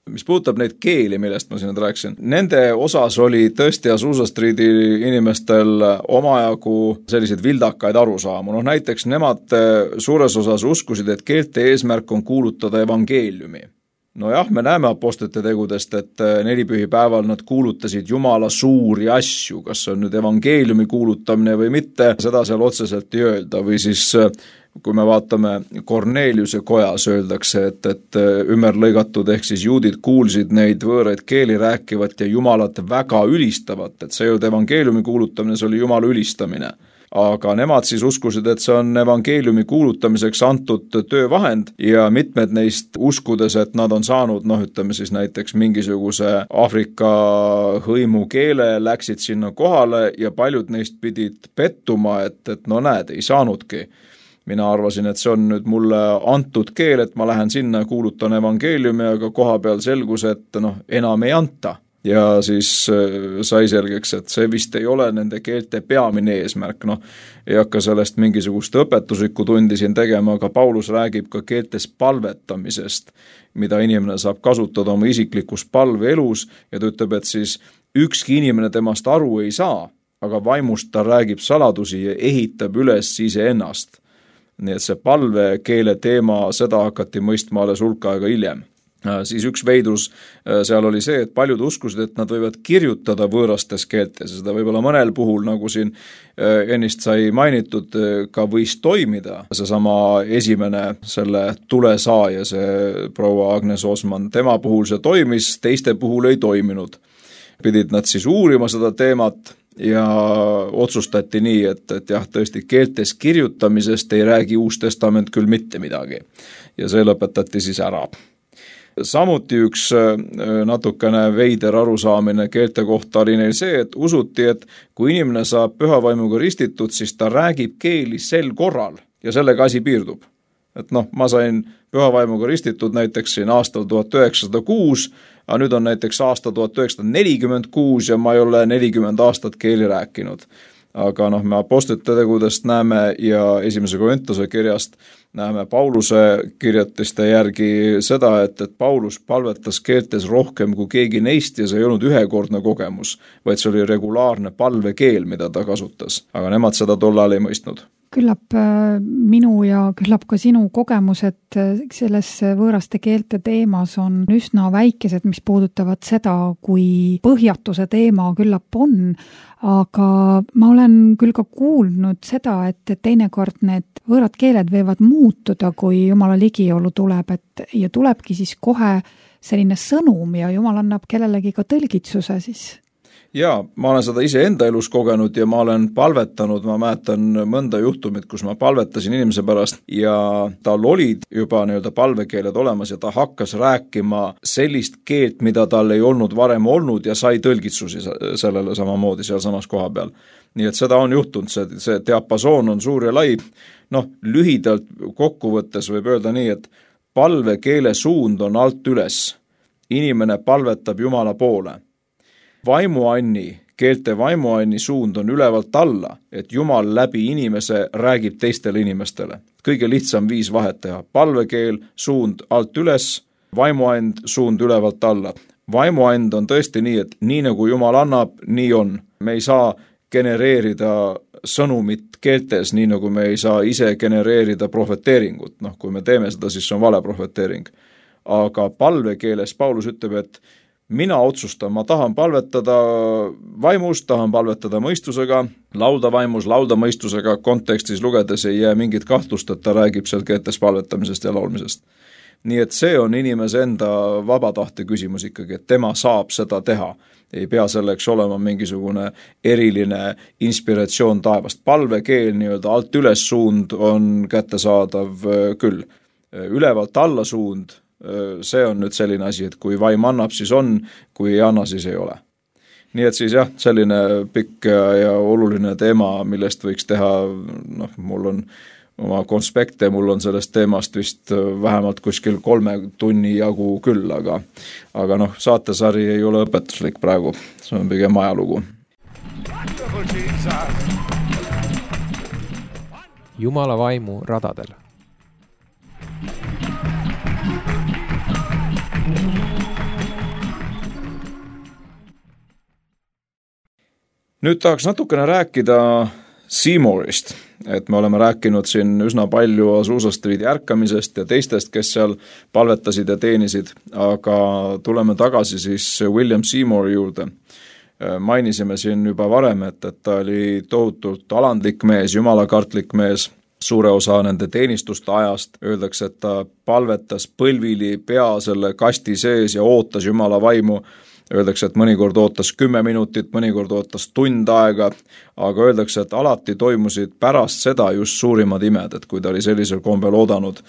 Mis puudutab neid keeli, millest ma siin nüüd rääksin, nende osas oli tõesti Azusa Streeti inimestel omajagu selliseid vildakaid arusaamu. No näiteks nemad suures osas uskusid, et keelte eesmärk on kuulutada evangeeliumi. No jah, me näeme apostlite tegudest, et nelipühipäeval nad kuulutasid Jumala suuri asju, kas see on nüüd evangeeliumi kuulutamine või mitte, seda seal otseselt ei öelda, või siis kui me vaatame Korneliuse kojas, öeldakse, et, et ümberlõigatud ehk siis juudid kuulsid neid võõraid keeli rääkivat ja Jumalat väga ülistavat, et see ei olnud evangeeliumi kuulutamine, see oli Jumala ülistamine. Aga nemad siis uskusid, et see on evangeeliumi kuulutamiseks antud töövahend ja mitmed neist uskudes, et nad on saanud, noh ütleme siis näiteks mingisuguse Aafrika hõimu keele, läksid sinna kohale ja paljud neist pidid pettuma, et, et no näed, ei saanudki. Mina arvasin, et see on nüüd mulle antud keel, et ma lähen sinna ja kuulutan evangeeliumi, aga koha peal selgus, et noh, enam ei anta. Ja siis sai selgeks, et see vist ei ole nende keelte peamine eesmärk. Noh, ei hakka sellest mingisugust õpetuslikku tundi siin tegema, aga Paulus räägib ka keeltes palvetamisest, mida inimene saab kasutada oma isiklikus palveelus ja ta ütleb, et siis ükski inimene temast aru ei saa, aga vaimust ta räägib saladusi ja ehitab üles iseennast. Nii et see palvekeele teema, seda hakati mõistma alles hulk aega hiljem. Siis üks veidrus seal oli see, et paljud uskusid, et nad võivad kirjutada võõrastes keeltes. Seda võib-olla mõnel puhul, nagu siin ennist sai mainitud, ka võis toimida. Seesama esimene selle tulesaaja, see proua Agnes Osman, tema puhul see toimis, teiste puhul ei toiminud. Pidid nad siis uurima seda teemat ja otsustati nii, et, et jah, tõesti keeltes kirjutamisest ei räägi Uus Testament küll mitte midagi. Ja see lõpetati siis ära. Samuti üks natukene veider arusaamine keelte kohta oli neil see, et usuti, et kui inimene saab pühavaimuga ristitud, siis ta räägib keeli sel korral ja sellega asi piirdub. Et noh, ma sain pühavaimuga ristitud näiteks siin aastal tuhat üheksasada kuus, aga nüüd on näiteks aasta tuhat üheksasada nelikümmend kuus ja ma ei ole nelikümmend aastat keeli rääkinud. Aga noh, me apostlite tegudest näeme ja esimese Korintuse kirjast näeme Pauluse kirjatiste järgi seda, et, et Paulus palvetas keeltes rohkem kui keegi neist ja see ei olnud ühekordne kogemus, vaid see oli regulaarne palvekeel, mida ta kasutas. Aga nemad seda tollal ei mõistnud. Küllap minu ja küllap ka sinu kogemused selles võõraste keelte teemas on üsna väikesed, mis puudutavad seda, kui põhjatuse teema küllap on, aga ma olen küll ka kuulnud seda, et teinekord need võõrad keeled võivad muutuda, kui Jumala ligiolu tuleb, et ja tulebki siis kohe selline sõnum ja Jumal annab kellelegi ka tõlgitsuse siis. Jaa, ma olen seda ise enda elus kogenud ja ma olen palvetanud, ma mäletan mõnda juhtumit, kus ma palvetasin inimese pärast ja tal olid juba nii-öelda palvekeeled olemas ja ta hakkas rääkima sellist keelt, mida tal ei olnud varem olnud ja sai tõlgitsusi sellele samamoodi seal samas koha peal. Nii et seda on juhtunud, see, see diapasoon on suur ja lai. Noh, lühidalt kokkuvõttes võib öelda nii, et palvekeele suund on alt üles. Inimene palvetab Jumala poole. Vaimuanni, keelte vaimuanni suund on ülevalt alla, et Jumal läbi inimese räägib teistele inimestele. Kõige lihtsam viis vahet teha. Palvekeel suund alt üles, vaimuand suund ülevalt alla. Vaimuand on tõesti nii, et nii nagu Jumal annab, nii on. Me ei saa genereerida sõnumit keeltes, nii nagu me ei saa ise genereerida profeteeringut. Noh, kui me teeme seda, siis on vale profeteering. Aga palvekeeles Paulus ütleb, et mina otsustan, ma tahan palvetada vaimus, tahan palvetada mõistusega, laulda vaimus, laulda mõistusega, kontekstis lugedes ei jää mingit kahtlust, et ta räägib seal keeltes palvetamisest ja laulmisest. Nii et see on inimese enda vabatahte küsimus ikkagi, et tema saab seda teha. Ei pea selleks olema mingisugune eriline inspiratsioon taevast. Palvekeel nii-öelda alt üles suund on kättesaadav küll. Ülevalt alla suund, see on nüüd selline asi, et kui vaim annab, siis on, kui ei anna, siis ei ole. Nii et siis jah, selline pikk ja, ja oluline teema, millest võiks teha, noh, mul on oma konspekte, mul on sellest teemast vist vähemalt kuskil kolme tunni jagu küll, aga, aga noh, saatesari ei ole õpetuslik praegu, see on pigem ajalugu. Jumala vaimu radadel. Nüüd tahaks natukene rääkida Seymourist, et me oleme rääkinud siin üsna palju Azusa Streeti ärkamisest ja teistest, kes seal palvetasid ja teenisid, aga tuleme tagasi siis William Seymouri juurde. Mainisime siin juba varem, et, et ta oli tohutult alandlik mees, jumalakartlik mees, suure osa nende teenistuste ajast. Öeldakse, et ta palvetas põlvili pea selle kasti sees ja ootas Jumala vaimu. Öeldakse, et mõnikord ootas kümme minutit, mõnikord ootas tund aega, aga öeldakse, et alati toimusid pärast seda just suurimad imed, et kui ta oli sellisel kombel oodanud.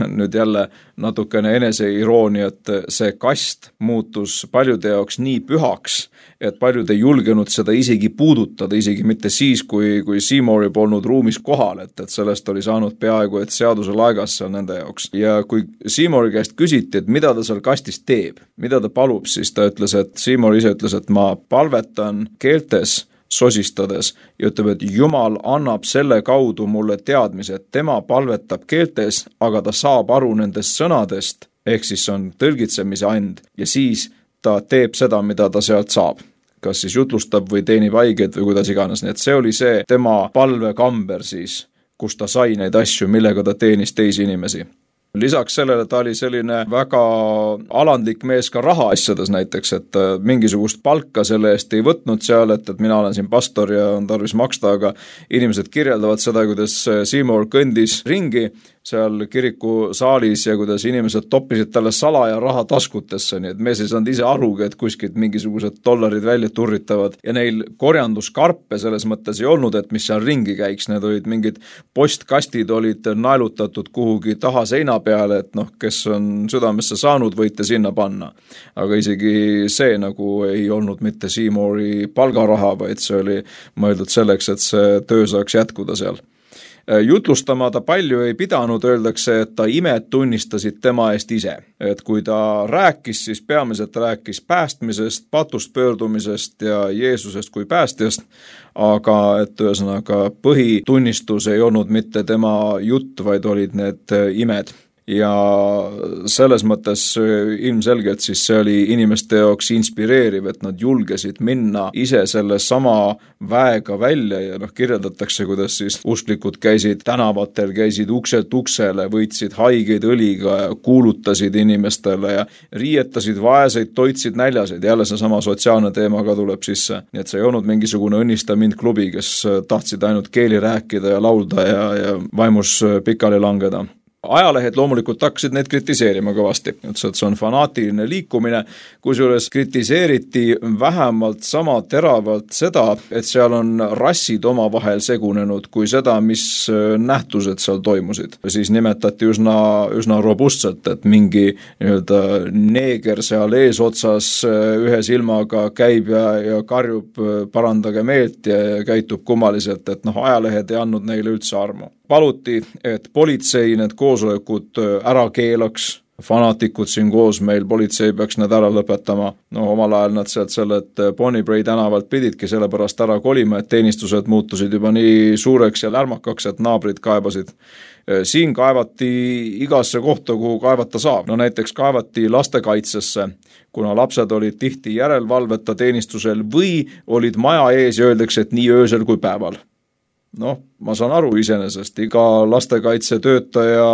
Nüüd jälle natukene eneseirooni, et see kast muutus paljude jaoks nii pühaks, et paljud ei julgenud seda isegi puudutada, isegi mitte siis, kui, kui Seymouri polnud ruumis kohal, et, et sellest oli saanud peaaegu, et seaduse laegas seal nende jaoks. Ja kui Seymouri käest küsiti, et mida ta seal kastis teeb, mida ta palub, siis ta ütles, et Seymour ise ütles, et ma palvetan keeltes sosistades ja ütleb, et Jumal annab selle kaudu mulle teadmise, et tema palvetab keeltes, aga ta saab aru nendest sõnadest, ehk siis on tõlgitsemise and ja siis ta teeb seda, mida ta sealt saab. Kas siis jutlustab või teenib haigeid või kuidas iganes, nii et see oli see tema palvekamber siis, kus ta sai neid asju, millega ta teenis teisi inimesi. Lisaks sellele ta oli selline väga alandlik mees ka rahaasjades näiteks, et mingisugust palka selle eest ei võtnud seal, et, et mina olen siin pastor ja on tarvis maksta, aga inimesed kirjeldavad seda, kuidas Seymour kõndis ringi seal kiriku saalis ja kuidas inimesed toppisid talle salaja raha taskutesse, nii et mees ei saanud ise arugi, et kuskilt mingisugused dollarid välja turritavad ja neil korjanduskarpe selles mõttes ei olnud, et mis seal ringi käiks, need olid mingid postkastid olid naelutatud kuhugi taha seina peale, et noh, kes on südamesse saanud, võite sinna panna. Aga isegi see nagu ei olnud mitte Seymouri palgaraha, vaid see oli mõeldud selleks, et see töö saaks jätkuda seal. Jutlustama ta palju ei pidanud, öeldakse, et ta imed tunnistasid tema eest ise. Et kui ta rääkis, siis peamiselt rääkis päästmisest, patust pöördumisest ja Jeesusest kui päästjast, aga et ühesõnaga põhitunnistus ei olnud mitte tema jutt, vaid olid need imed. ja selles mõttes ilmselgelt siis see oli inimeste jaoks inspireeriv, et nad julgesid minna ise selle sama väega välja ja noh, kirjeldatakse, kuidas siis usklikud käisid tänavatel, käisid ukselt uksele, võitsid haigeid õliga ja kuulutasid inimestele ja riietasid vaeseid, toitsid näljaseid, jälle see sama sotsiaalne teema ka tuleb sisse. Nii et see ei olnud mingisugune õnnista mind klubi, kes tahtsid ainult keeli rääkida ja laulda ja, ja vaimus pikali langeda. Ajalehed loomulikult hakkasid neid kritiseerima kõvasti, et see on fanaatiline liikumine, kusjuures kritiseeriti vähemalt sama teravalt seda, et seal on rassid omavahel segunenud, kui seda, mis nähtused seal toimusid. Siis nimetati üsna, üsna robustselt, et mingi nii-öelda neeger seal eesotsas ühe silmaga käib ja, ja karjub parandage meelt ja käitub kummaliselt, et noh, ajalehed ei andnud neile üldse armu. Paluti, et politsei need koosolekud ära keelaks, fanaatikud siin koos meil, politsei peaks need ära lõpetama. No omal ajal nad sealt sellelt Bonnybray tänavalt pididki sellepärast ära kolima, et teenistused muutusid juba nii suureks ja lärmakaks, et naabrid kaebasid. Siin kaevati igasse kohta, kuhu kaevata saab. No näiteks kaevati lastekaitsesse, kuna lapsed olid tihti järelvalveta teenistusel või olid maja ees ja öeldakse, et nii öösel kui päeval. Noh, ma saan aru iseenesest, iga lastekaitse töötaja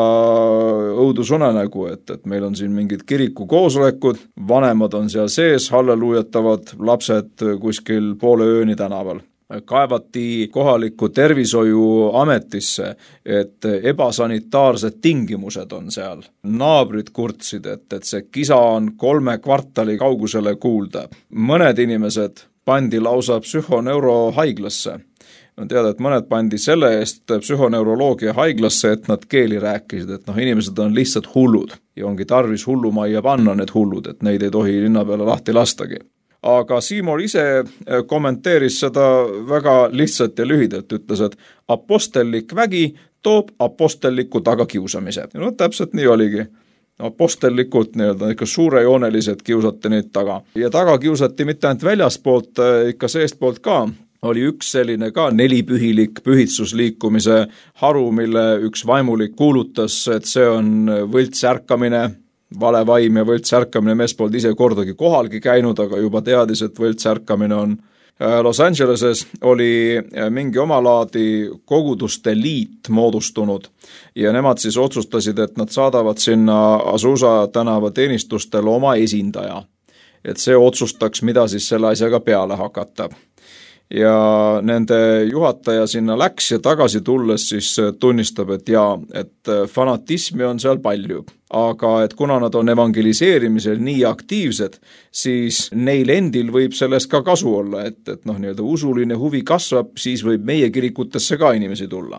õudusunenägu, et, et meil on siin mingid kiriku koosolekud, vanemad on seal sees, halleluujatavad lapsed kuskil poole ööni tänaval. Kaevati kohalikku tervishoiuametisse, et ebasanitaarsed tingimused on seal. Naabrid kurtsid, et, et see kisa on kolme kvartali kaugusele kuulda. Mõned inimesed pandi lausa psühhoneurohaiglasse. On teada, et mõned pandi selle eest psühhoneuroloogia haiglasse, et nad keeli rääkisid, et noh, inimesed on lihtsalt hullud ja ongi tarvis hullumajja panna need hullud, et neid ei tohi linna peale lahti lastagi. Aga Seymour ise kommenteeris seda väga lihtsalt ja lühidalt, ütles, et apostellik vägi toob apostelliku tagakiusamise. Ja no täpselt nii oligi. Apostellikult nii-öelda ikka suurejoonelised kiusati neid taga. Ja taga kiusati mitte ainult väljaspoolt, ikka seestpoolt ka. Oli üks selline ka nelipühilik pühitsusliikumise haru, mille üks vaimulik kuulutas, et see on võltsärkamine, vale vaim ja võltsärkamine, mees polnud ise kordagi kohalgi käinud, aga juba teadis, et võltsärkamine on. Los Angeleses oli mingi omalaadi koguduste liit moodustunud ja nemad siis otsustasid, et nad saadavad sinna Azusa tänava teenistustele oma esindaja, et see otsustaks, mida siis selle asjaga peale hakata. Ja nende juhataja sinna läks ja tagasi tulles siis tunnistab, et jaa, et fanatismi on seal palju, aga et kuna nad on evangeliseerimisel nii aktiivsed, siis neil endil võib sellest ka kasu olla, et, et noh, nii-öelda usuline huvi kasvab, siis võib meie kirikutesse ka inimesi tulla.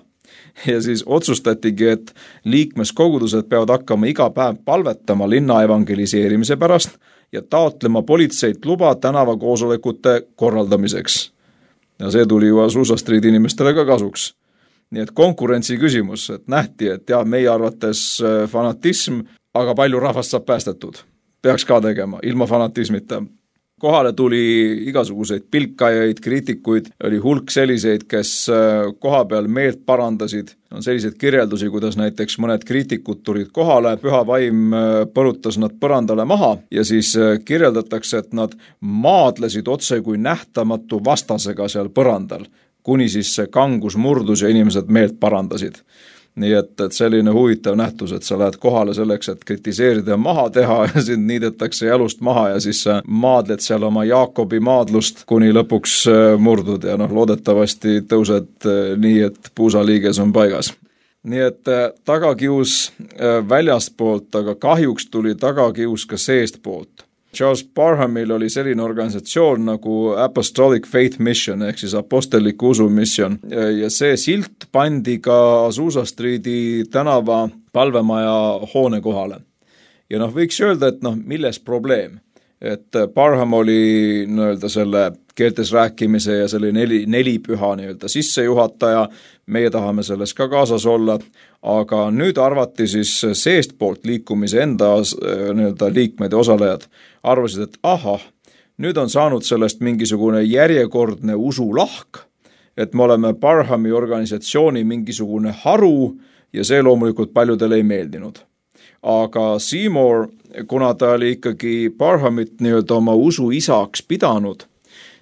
Ja siis otsustatigi, et liikmeskogudused peavad hakkama iga päev palvetama linna evangeliseerimise pärast ja taotlema politseit luba tänavakoosolekute korraldamiseks. Ja see tuli ju Azusa Street inimestele ka kasuks. Nii et konkurentsi küsimus, et nähti, et jah, meie arvates fanatism, aga palju rahvast saab päästetud. Peaks ka tegema, ilma fanatismita. Kohale tuli igasuguseid pilkajaid, kriitikuid, oli hulk selliseid, kes koha peal meelt parandasid. On selliseid kirjeldusi, kuidas näiteks mõned kriitikud tulid kohale, püha vaim põrutas nad põrandale maha ja siis kirjeldatakse, et nad maadlesid otse kui nähtamatu vastasega seal põrandal, kuni siis see kangus murdus ja inimesed meelt parandasid. Nii et, et selline huvitav nähtus, et sa lähed kohale selleks, et kritiseerida ja maha teha ja sind niidetakse jalust maha ja siis sa maadled seal oma Jaakobi maadlust, kuni lõpuks murdud ja noh, loodetavasti tõused nii, et puusaliiges on paigas. Nii et tagakius väljastpoolt, aga kahjuks tuli tagakius ka seestpoolt. Charles Parhamil oli selline organisatsioon nagu Apostolic Faith Mission ehk siis apostelliku usumission ja see silt pandi ka Azusa Streeti tänava palvemaja hoone kohale. Ja noh, võiks öelda, et noh, milles probleem? Et Parham oli nii-öelda selle keeltes rääkimise ja selle neli, nelipüha nii-öelda sissejuhataja, meie tahame selles ka kaasas olla, aga nüüd arvati siis seestpoolt liikumise enda nii-öelda liikmed ja osalejad, arvasid, et ahah, nüüd on saanud sellest mingisugune järjekordne usulahk, et me oleme Parhami organisatsiooni mingisugune haru ja see loomulikult paljudele ei meeldinud. aga Seymour, kuna ta oli ikkagi Parhamit nii-öelda oma usu isaks pidanud,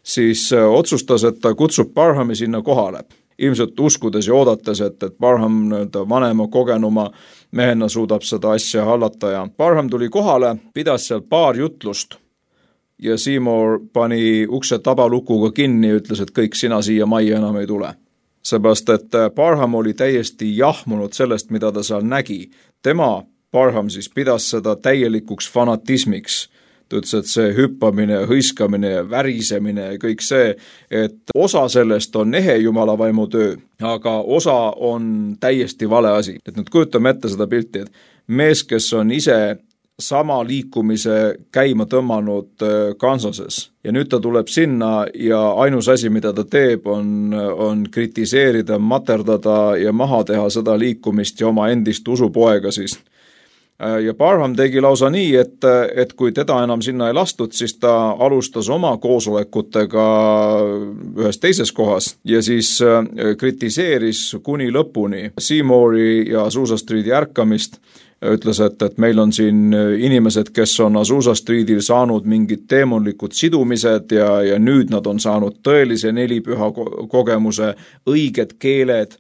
siis otsustas, et ta kutsub Parhami sinna kohale. Ilmselt uskudes ja oodates, et, et Parham nii-öelda vanema kogenuma mehena suudab seda asja hallata ja Parham tuli kohale, pidas seal paar jutlust ja Seymour pani ukse tabalukuga kinni ja ütles, et kõik sina siia majja enam ei tule. Seepärast, et Parham oli täiesti jahmunud sellest, mida ta seal nägi. Tema, Parham siis pidas seda täielikuks fanatismiks. Ta ütles, et see hüppamine, hõiskamine ja värisemine ja kõik see, et osa sellest on ehe Jumala vaimu töö, aga osa on täiesti vale asi. Et nüüd kujutame ette seda pilti, et mees, kes on ise sama liikumise käima tõmmanud Kansases ja nüüd ta tuleb sinna ja ainus asi, mida ta teeb, on, on kritiseerida, materdada ja maha teha seda liikumist ja oma endist usupoega siis. Ja Parham tegi lausa nii, et, et kui teda enam sinna ei lastud, siis ta alustas oma koosolekutega ühes teises kohas ja siis kritiseeris kuni lõpuni Seymouri ja Azusa Streeti ärkamist. Ütles, et, et meil on siin inimesed, kes on Azusa Streetil saanud mingid teemonlikud sidumised ja, ja nüüd nad on saanud tõelise nelipüha kogemuse, õiged keeled,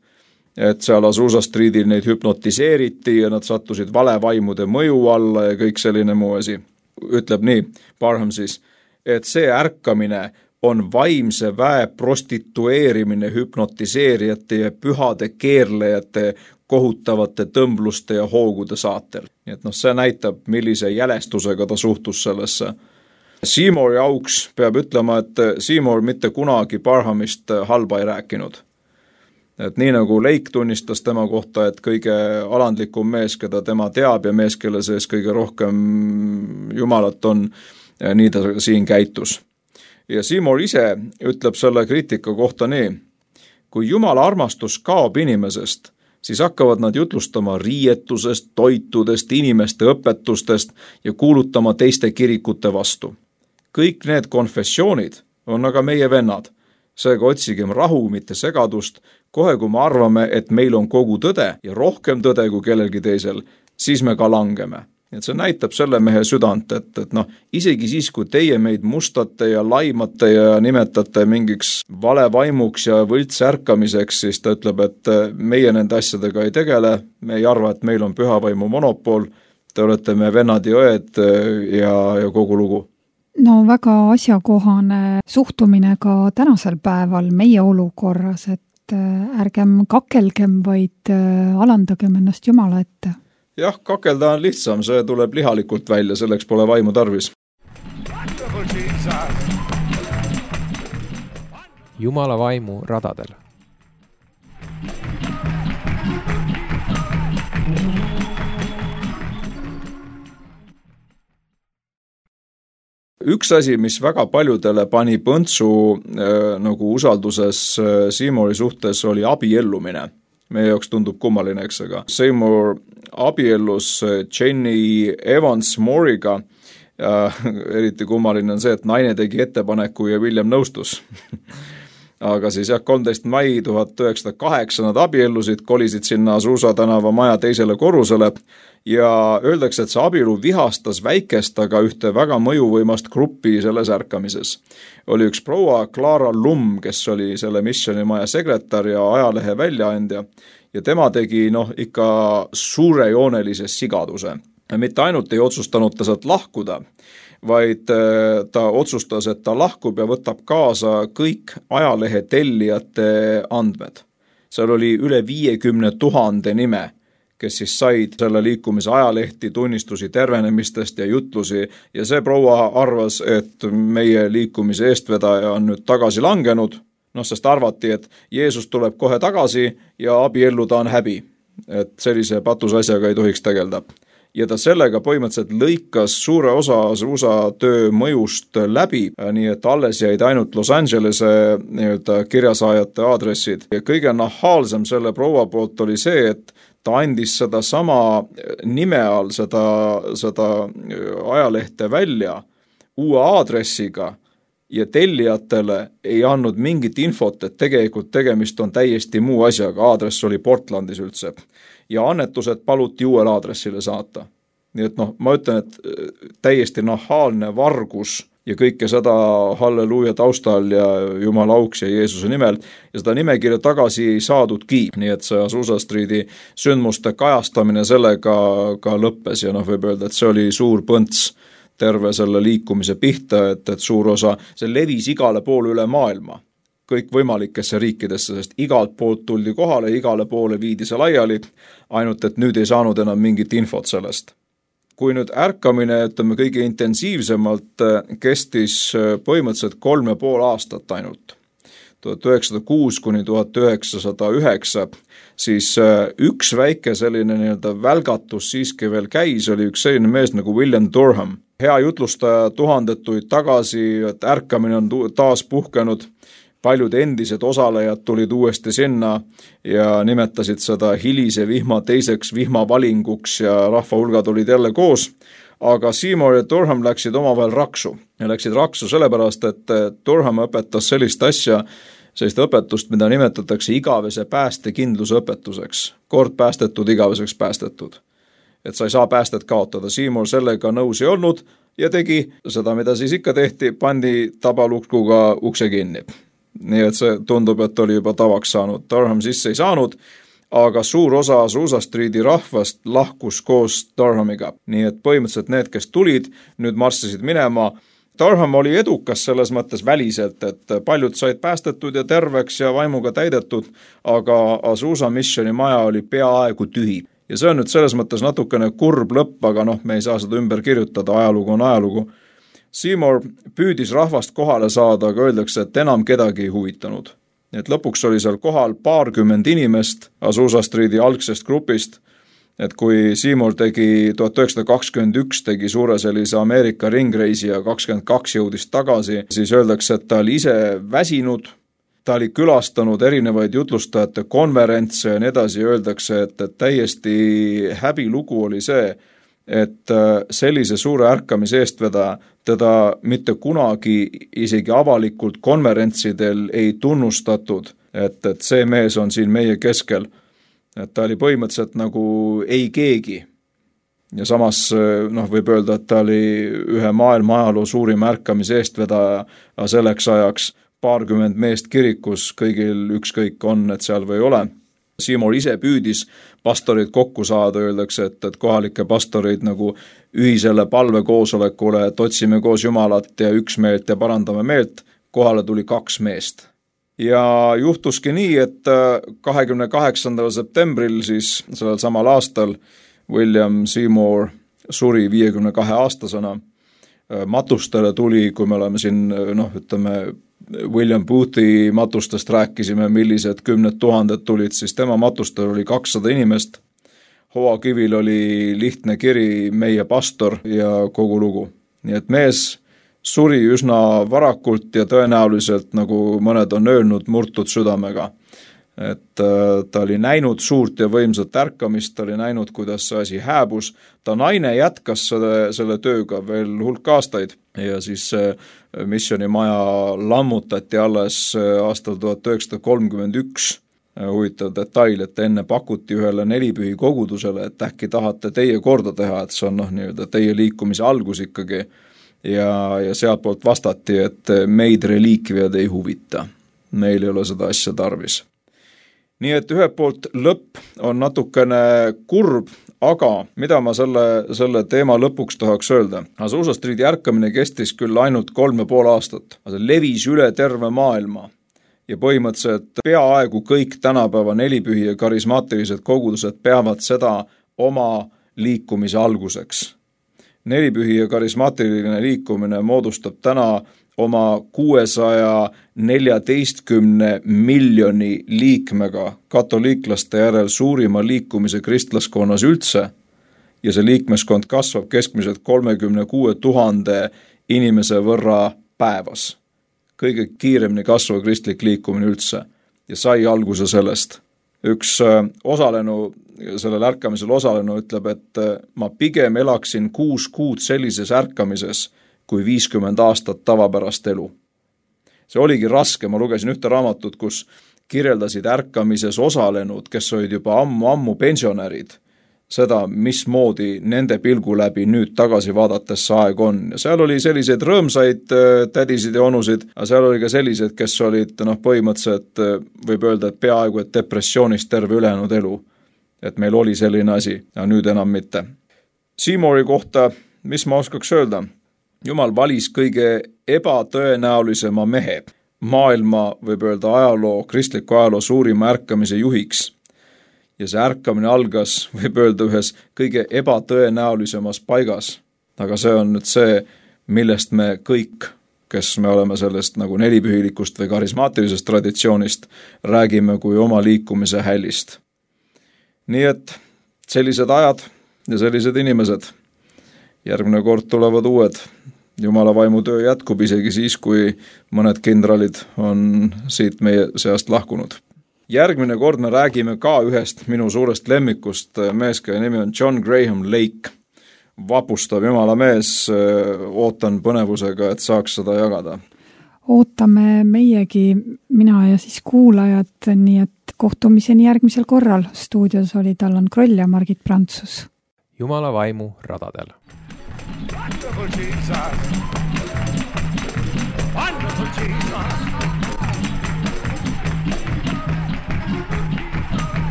et seal Azusa Streetil neid hüpnotiseeriti ja nad sattusid valevaimude mõju alla ja kõik selline muu asi. Ütleb nii, Parham siis, et see ärkamine on vaimse väe prostitueerimine hüpnotiseerijate ja pühade keerlejate kohutavate tõmbluste ja hoogude saatel. Nii et noh, see näitab, millise jälestusega ta suhtus sellesse. Seymouri auks peab ütlema, et Seymour mitte kunagi Parhamist halba ei rääkinud. Et nii nagu Lake tunnistas tema kohta, et kõige alandlikum mees, keda tema teab ja mees, kelle sees kõige rohkem Jumalat on, nii ta siin käitus. Ja Seymour ise ütleb selle kriitika kohta nii, kui Jumala armastus kaob inimesest, siis hakkavad nad jutlustama riietusest, toitudest, inimeste õpetustest ja kuulutama teiste kirikute vastu. Kõik need konfessioonid on aga meie vennad. Seega otsigem rahu, mitte segadust. Kohe kui me arvame, et meil on kogu tõde ja rohkem tõde kui kellelgi teisel, siis me ka langeme. Et see näitab selle mehe südant, et, et noh, isegi siis, kui teie meid mustate ja laimate ja nimetate mingiks valevaimuks ja võltsärkamiseks, siis ta ütleb, et meie nende asjadega ei tegele, me ei arva, et meil on pühavaimu monopol, te olete me vennad ja õed ja, ja kogu lugu. No väga asjakohane suhtumine ka tänasel päeval meie olukorras, et ärgem kakelgem, vaid alandagem ennast Jumala ette. Jah, kakelda on lihtsam, see tuleb lihalikult välja, selleks pole vaimu tarvis. Jumala vaimu radadel. Üks asi, mis väga paljudele pani põntsu äh, nagu usalduses äh, Seymouri suhtes, oli abiellumine. Meie jaoks tundub kummaline, eks, aga Seymour abiellus Jenny Evans Mooriga. Ja eriti kummaline on see, et naine tegi ettepaneku ja William nõustus. Aga siis jah, kolmteist mai tuhat üheksasada kaheksa nad abiellusid, kolisid sinna Azusa tänava maja teisele korrusele ja öeldakse, et see abielu vihastas väikest, aga ühte väga mõjuvõimast gruppi selles ärkamises. Oli üks proua Clara Lum, kes oli selle missionimaja sekretär ja ajalehe väljaandja ja tema tegi noh ikka suurejoonelise sigaduse. Ja mitte ainult ei otsustanud ta sealt lahkuda, vaid ta otsustas, et ta lahkub ja võtab kaasa kõik ajalehe tellijate andmed. Seal oli üle viiekümne tuhande nime, kes siis said selle liikumise ajalehti, tunnistusi tervenemistest ja jutlusi ja see proua arvas, et meie liikumise eestvedaja on nüüd tagasi langenud, noh, sest arvati, et Jeesus tuleb kohe tagasi ja abielluda on häbi, et sellise patusasjaga ei tohiks tegelda. Ja ta sellega põhimõtteliselt lõikas suure osa Azusa töö mõjust läbi, nii et alles jäid ainult Los Angelese nii-öelda kirjasaajate aadressid. Ja kõige nahaalsem selle proua poolt oli see, et ta andis seda sama nime all seda, seda ajalehte välja uue aadressiga ja tellijatele ei andnud mingit infot, et tegelikult tegemist on täiesti muu asjaga, aadress oli Portlandis üldse. ja annetused paluti uuele aadressile saata. Nii et noh, ma ütlen, et täiesti nahaalne vargus ja kõike seda halleluuja taustal ja Jumala auks ja Jeesuse nimel ja seda nimekirja tagasi ei saadudki, nii et see Azusa Streeti sündmuste kajastamine sellega ka lõppes ja noh, võib öelda, et see oli suur põnts terve selle liikumise pihta, et, et suur osa, see levis igale poole üle maailma, kõik võimalikesse riikidesse, sest igalt poolt tuldi kohale, igale poole viidi see laiali, ainult et nüüd ei saanud enam mingit infot sellest. Kui nüüd ärkamine, ütleme, kõige intensiivsemalt kestis põhimõtteliselt kolm ja pool aastat ainult, tuhat üheksasada kuus kuni tuhat üheksasada üheksa, siis üks väike selline nii-öelda välgatus siiski veel käis, oli üks selline mees nagu William Durham. Hea jutlustaja tuhandetuid tagasi, et ärkamine on taas puhkenud, paljud endised osalejad tulid uuesti sinna ja nimetasid seda hilise vihma teiseks vihmavalinguks ja rahva hulgad olid jälle koos, aga Seymour ja Durham läksid omavahel raksu. Ja läksid raksu sellepärast, et Durham õpetas sellist asja, sellist õpetust, mida nimetatakse igavese päästekindluse õpetuseks. Kord päästetud, igaveseks päästetud. Et sa ei saa päästet kaotada. Seymour sellega nõus ei olnud ja tegi seda, mida siis ikka tehti, pandi tabalukkuga ukse kinni. Nii et see tundub, et oli juba tavaks saanud. Durham sisse ei saanud, aga suur osa Azusa Streeti rahvast lahkus koos Durhamiga. Nii et põhimõtteliselt need, kes tulid, nüüd marssisid minema. Durham oli edukas selles mõttes väliselt, et paljud said päästetud ja terveks ja vaimuga täidetud, aga Azusa missioni maja oli peaaegu tühi. Ja see on nüüd selles mõttes natukene kurb lõpp, aga noh, me ei saa seda ümber kirjutada, ajalugu on ajalugu. Seymour püüdis rahvast kohale saada, aga öeldakse, et enam kedagi ei huvitanud. Et lõpuks oli seal kohal paarkümmend inimest Azusa Streeti algsest grupist, et kui Seymour tegi tuhat üheksasada kakskümmend üks, tegi suure sellise Ameerika ringreisi ja kakskümmend kaks jõudis tagasi, siis öeldakse, et ta oli ise väsinud, ta oli külastanud erinevaid jutlustajate konverentse ja nii edasi, öeldakse, et, et täiesti häbilugu oli see, et sellise suure ärkamise eestvedaja teda mitte kunagi isegi avalikult konverentsidel ei tunnustatud, et, et see mees on siin meie keskel. Et ta oli põhimõtteliselt nagu ei keegi. Ja samas noh, võib öelda, et ta oli ühe maailma ajaloo suurim ärkamise eestvedaja selleks ajaks paarkümmend meest kirikus, kõigil ükskõik on, et seal või ole. Seymour ise püüdis pastorid kokku saada, öeldakse, et, et kohalike pastorid nagu ühisele palvekoosolekule, et otsime koos Jumalat ja üksmeelt ja parandame meelt, kohale tuli kaks meest. Ja juhtuski nii, et kahekümne kaheksandal septembril siis sellel samal aastal William Seymour suri viiekümne kahe aastasena. Matustele tuli, kui me oleme siin, noh, ütleme, William Boothi matustest rääkisime, millised kümned tuhanded tulid, siis tema matustel oli kakssada inimest. Hoakivil oli lihtne kiri meie pastor ja kogu lugu. Nii et mees suri üsna varakult ja tõenäoliselt, nagu mõned on öelnud, murtud südamega. Et ta oli näinud suurt ja võimsat ärkamist, ta oli näinud, kuidas see asi hääbus. Ta naine jätkas selle, selle tööga veel hulk aastaid ja siis missioni maja lammutati alles aastal tuhat üheksasada kolmkümmend üks. Huvitav detail, et enne pakuti ühele nelipühi kogudusele, et äkki tahate teie korda teha, et see on noh, nii-öelda teie liikumise algus ikkagi. Ja, ja sealt poolt vastati, et meid reliikviad ei huvita. Meil ei ole seda asja tarvis. Nii et ühelt poolt lõpp on natukene kurb, aga mida ma selle, selle teema lõpuks tahaks öelda? Azusa Streeti ärkamine kestis küll ainult kolm ja pool aastat, aga see levis üle terve maailma ja põhimõtteliselt peaaegu kõik tänapäeva nelipühi ja karismaatilised kogudused peavad seda oma liikumise alguseks. Nelipühi ja karismaatiline liikumine moodustab täna oma kuuesaja neljateistkümne miljoni liikmega katoliiklaste järel suurima liikumise kristlaskonnas üldse ja see liikmeskond kasvab keskmiselt kolmekümne kuue tuhande inimese võrra päevas. Kõige kiiremini kasvav kristlik liikumine üldse ja sai alguse sellest. Üks osalenu, sellel ärkamisel osalenu ütleb, et ma pigem elaksin kuus kuud sellises ärkamises kui viiskümmend aastat tavapärast elu. See oligi raske, ma lugesin ühte raamatut, kus kirjeldasid ärkamises osalenud, kes olid juba ammu-ammu pensionärid, seda, mismoodi nende pilgu läbi nüüd tagasi vaadates see aeg on. Ja seal oli selliseid rõõmsaid tädisid ja onusid, aga seal oli ka sellised, kes olid noh, põhimõtteliselt võib öelda, et peaaegu et depressioonist terve ülejäänud elu. Et meil oli selline asi, ja nüüd enam mitte. Seymouri kohta, mis ma oskaks öelda? Jumal valis kõige ebatõenäolisema mehe, maailma, võib öelda ajaloo, kristliku ajaloo suurima ärkamise juhiks. Ja see ärkamine algas, võib öelda, ühes kõige ebatõenäolisemas paigas. Aga see on nüüd see, millest me kõik, kes me oleme sellest nagu nelipühilikust või karismaatilisest traditsioonist, räägime kui oma liikumise hällist. Nii et sellised ajad ja sellised inimesed. Järgmine kord tulevad uued. Jumala vaimu töö jätkub isegi siis, kui mõned kindralid on siit meie seast lahkunud. Järgmine kord me räägime ka ühest minu suurest lemmikust mees, kelle nimi on John Graham Lake. Vapustav Jumala mees, ootan põnevusega, et saaks seda jagada. Ootame meiegi, mina ja siis kuulajad, nii et kohtumiseni järgmisel korral. Stuudios olid Allan Kroll ja Margit Prantsus. Jumala vaimu radadel. Wonderful Jesus. Wonderful Jesus.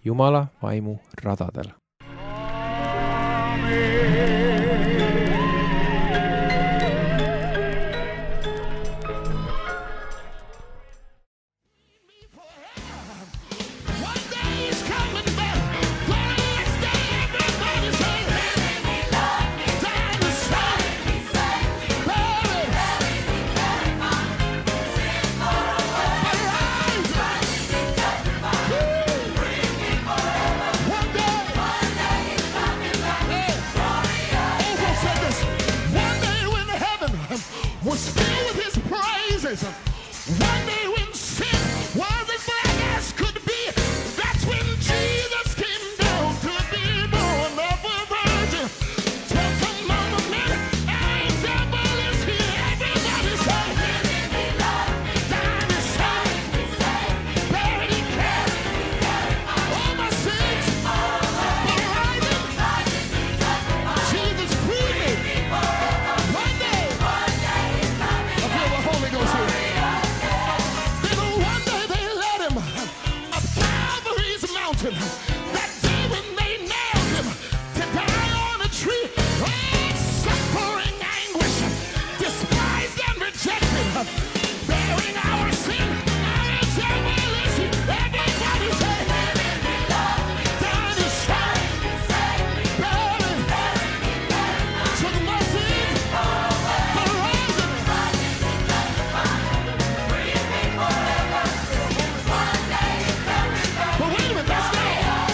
Jumala vaimu radadel. One day when sin was as black as could be, that's when Jesus came down to be born of a virgin. Tell some mama men, our example is here. Everybody say, living me, love me, dying is saved, buried in care. All my sins, for rising, Jesus freed me. One day, I feel the Holy Ghost here. That day when they nailed him to die on a tree, oh, suffering anguish, despised and rejected, bearing our sin, our example is he. Everybody say, living me, love me, dying to shine, bearing, took my sin, the rising, free me forever, one day, but wait a minute, that's not all.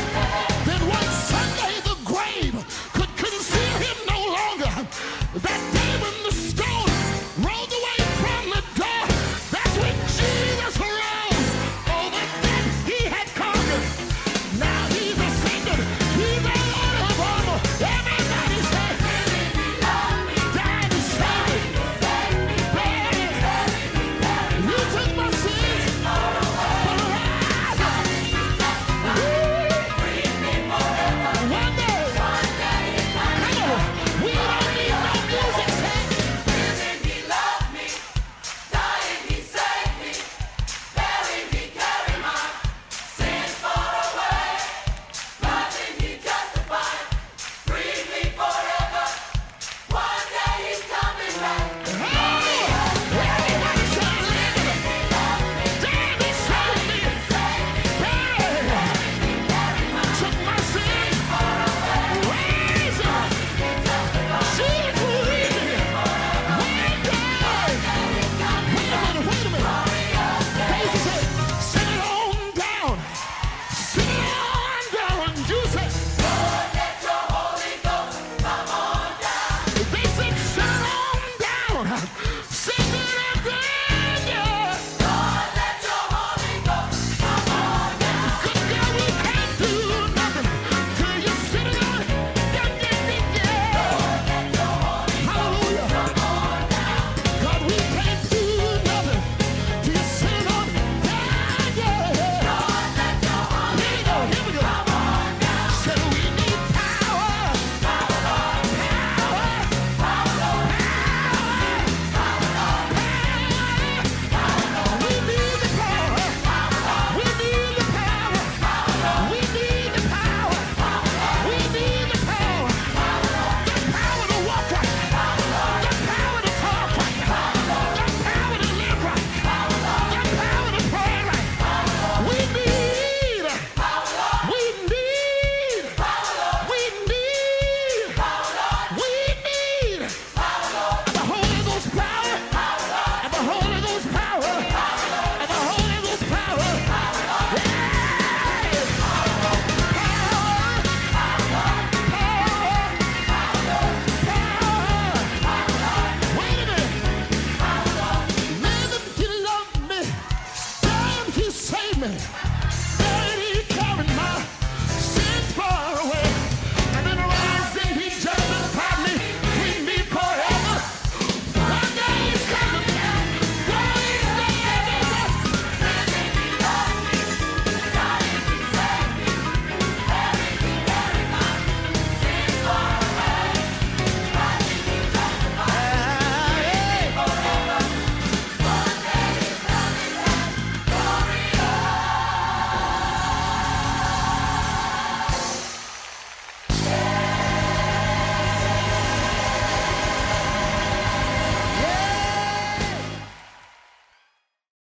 save me.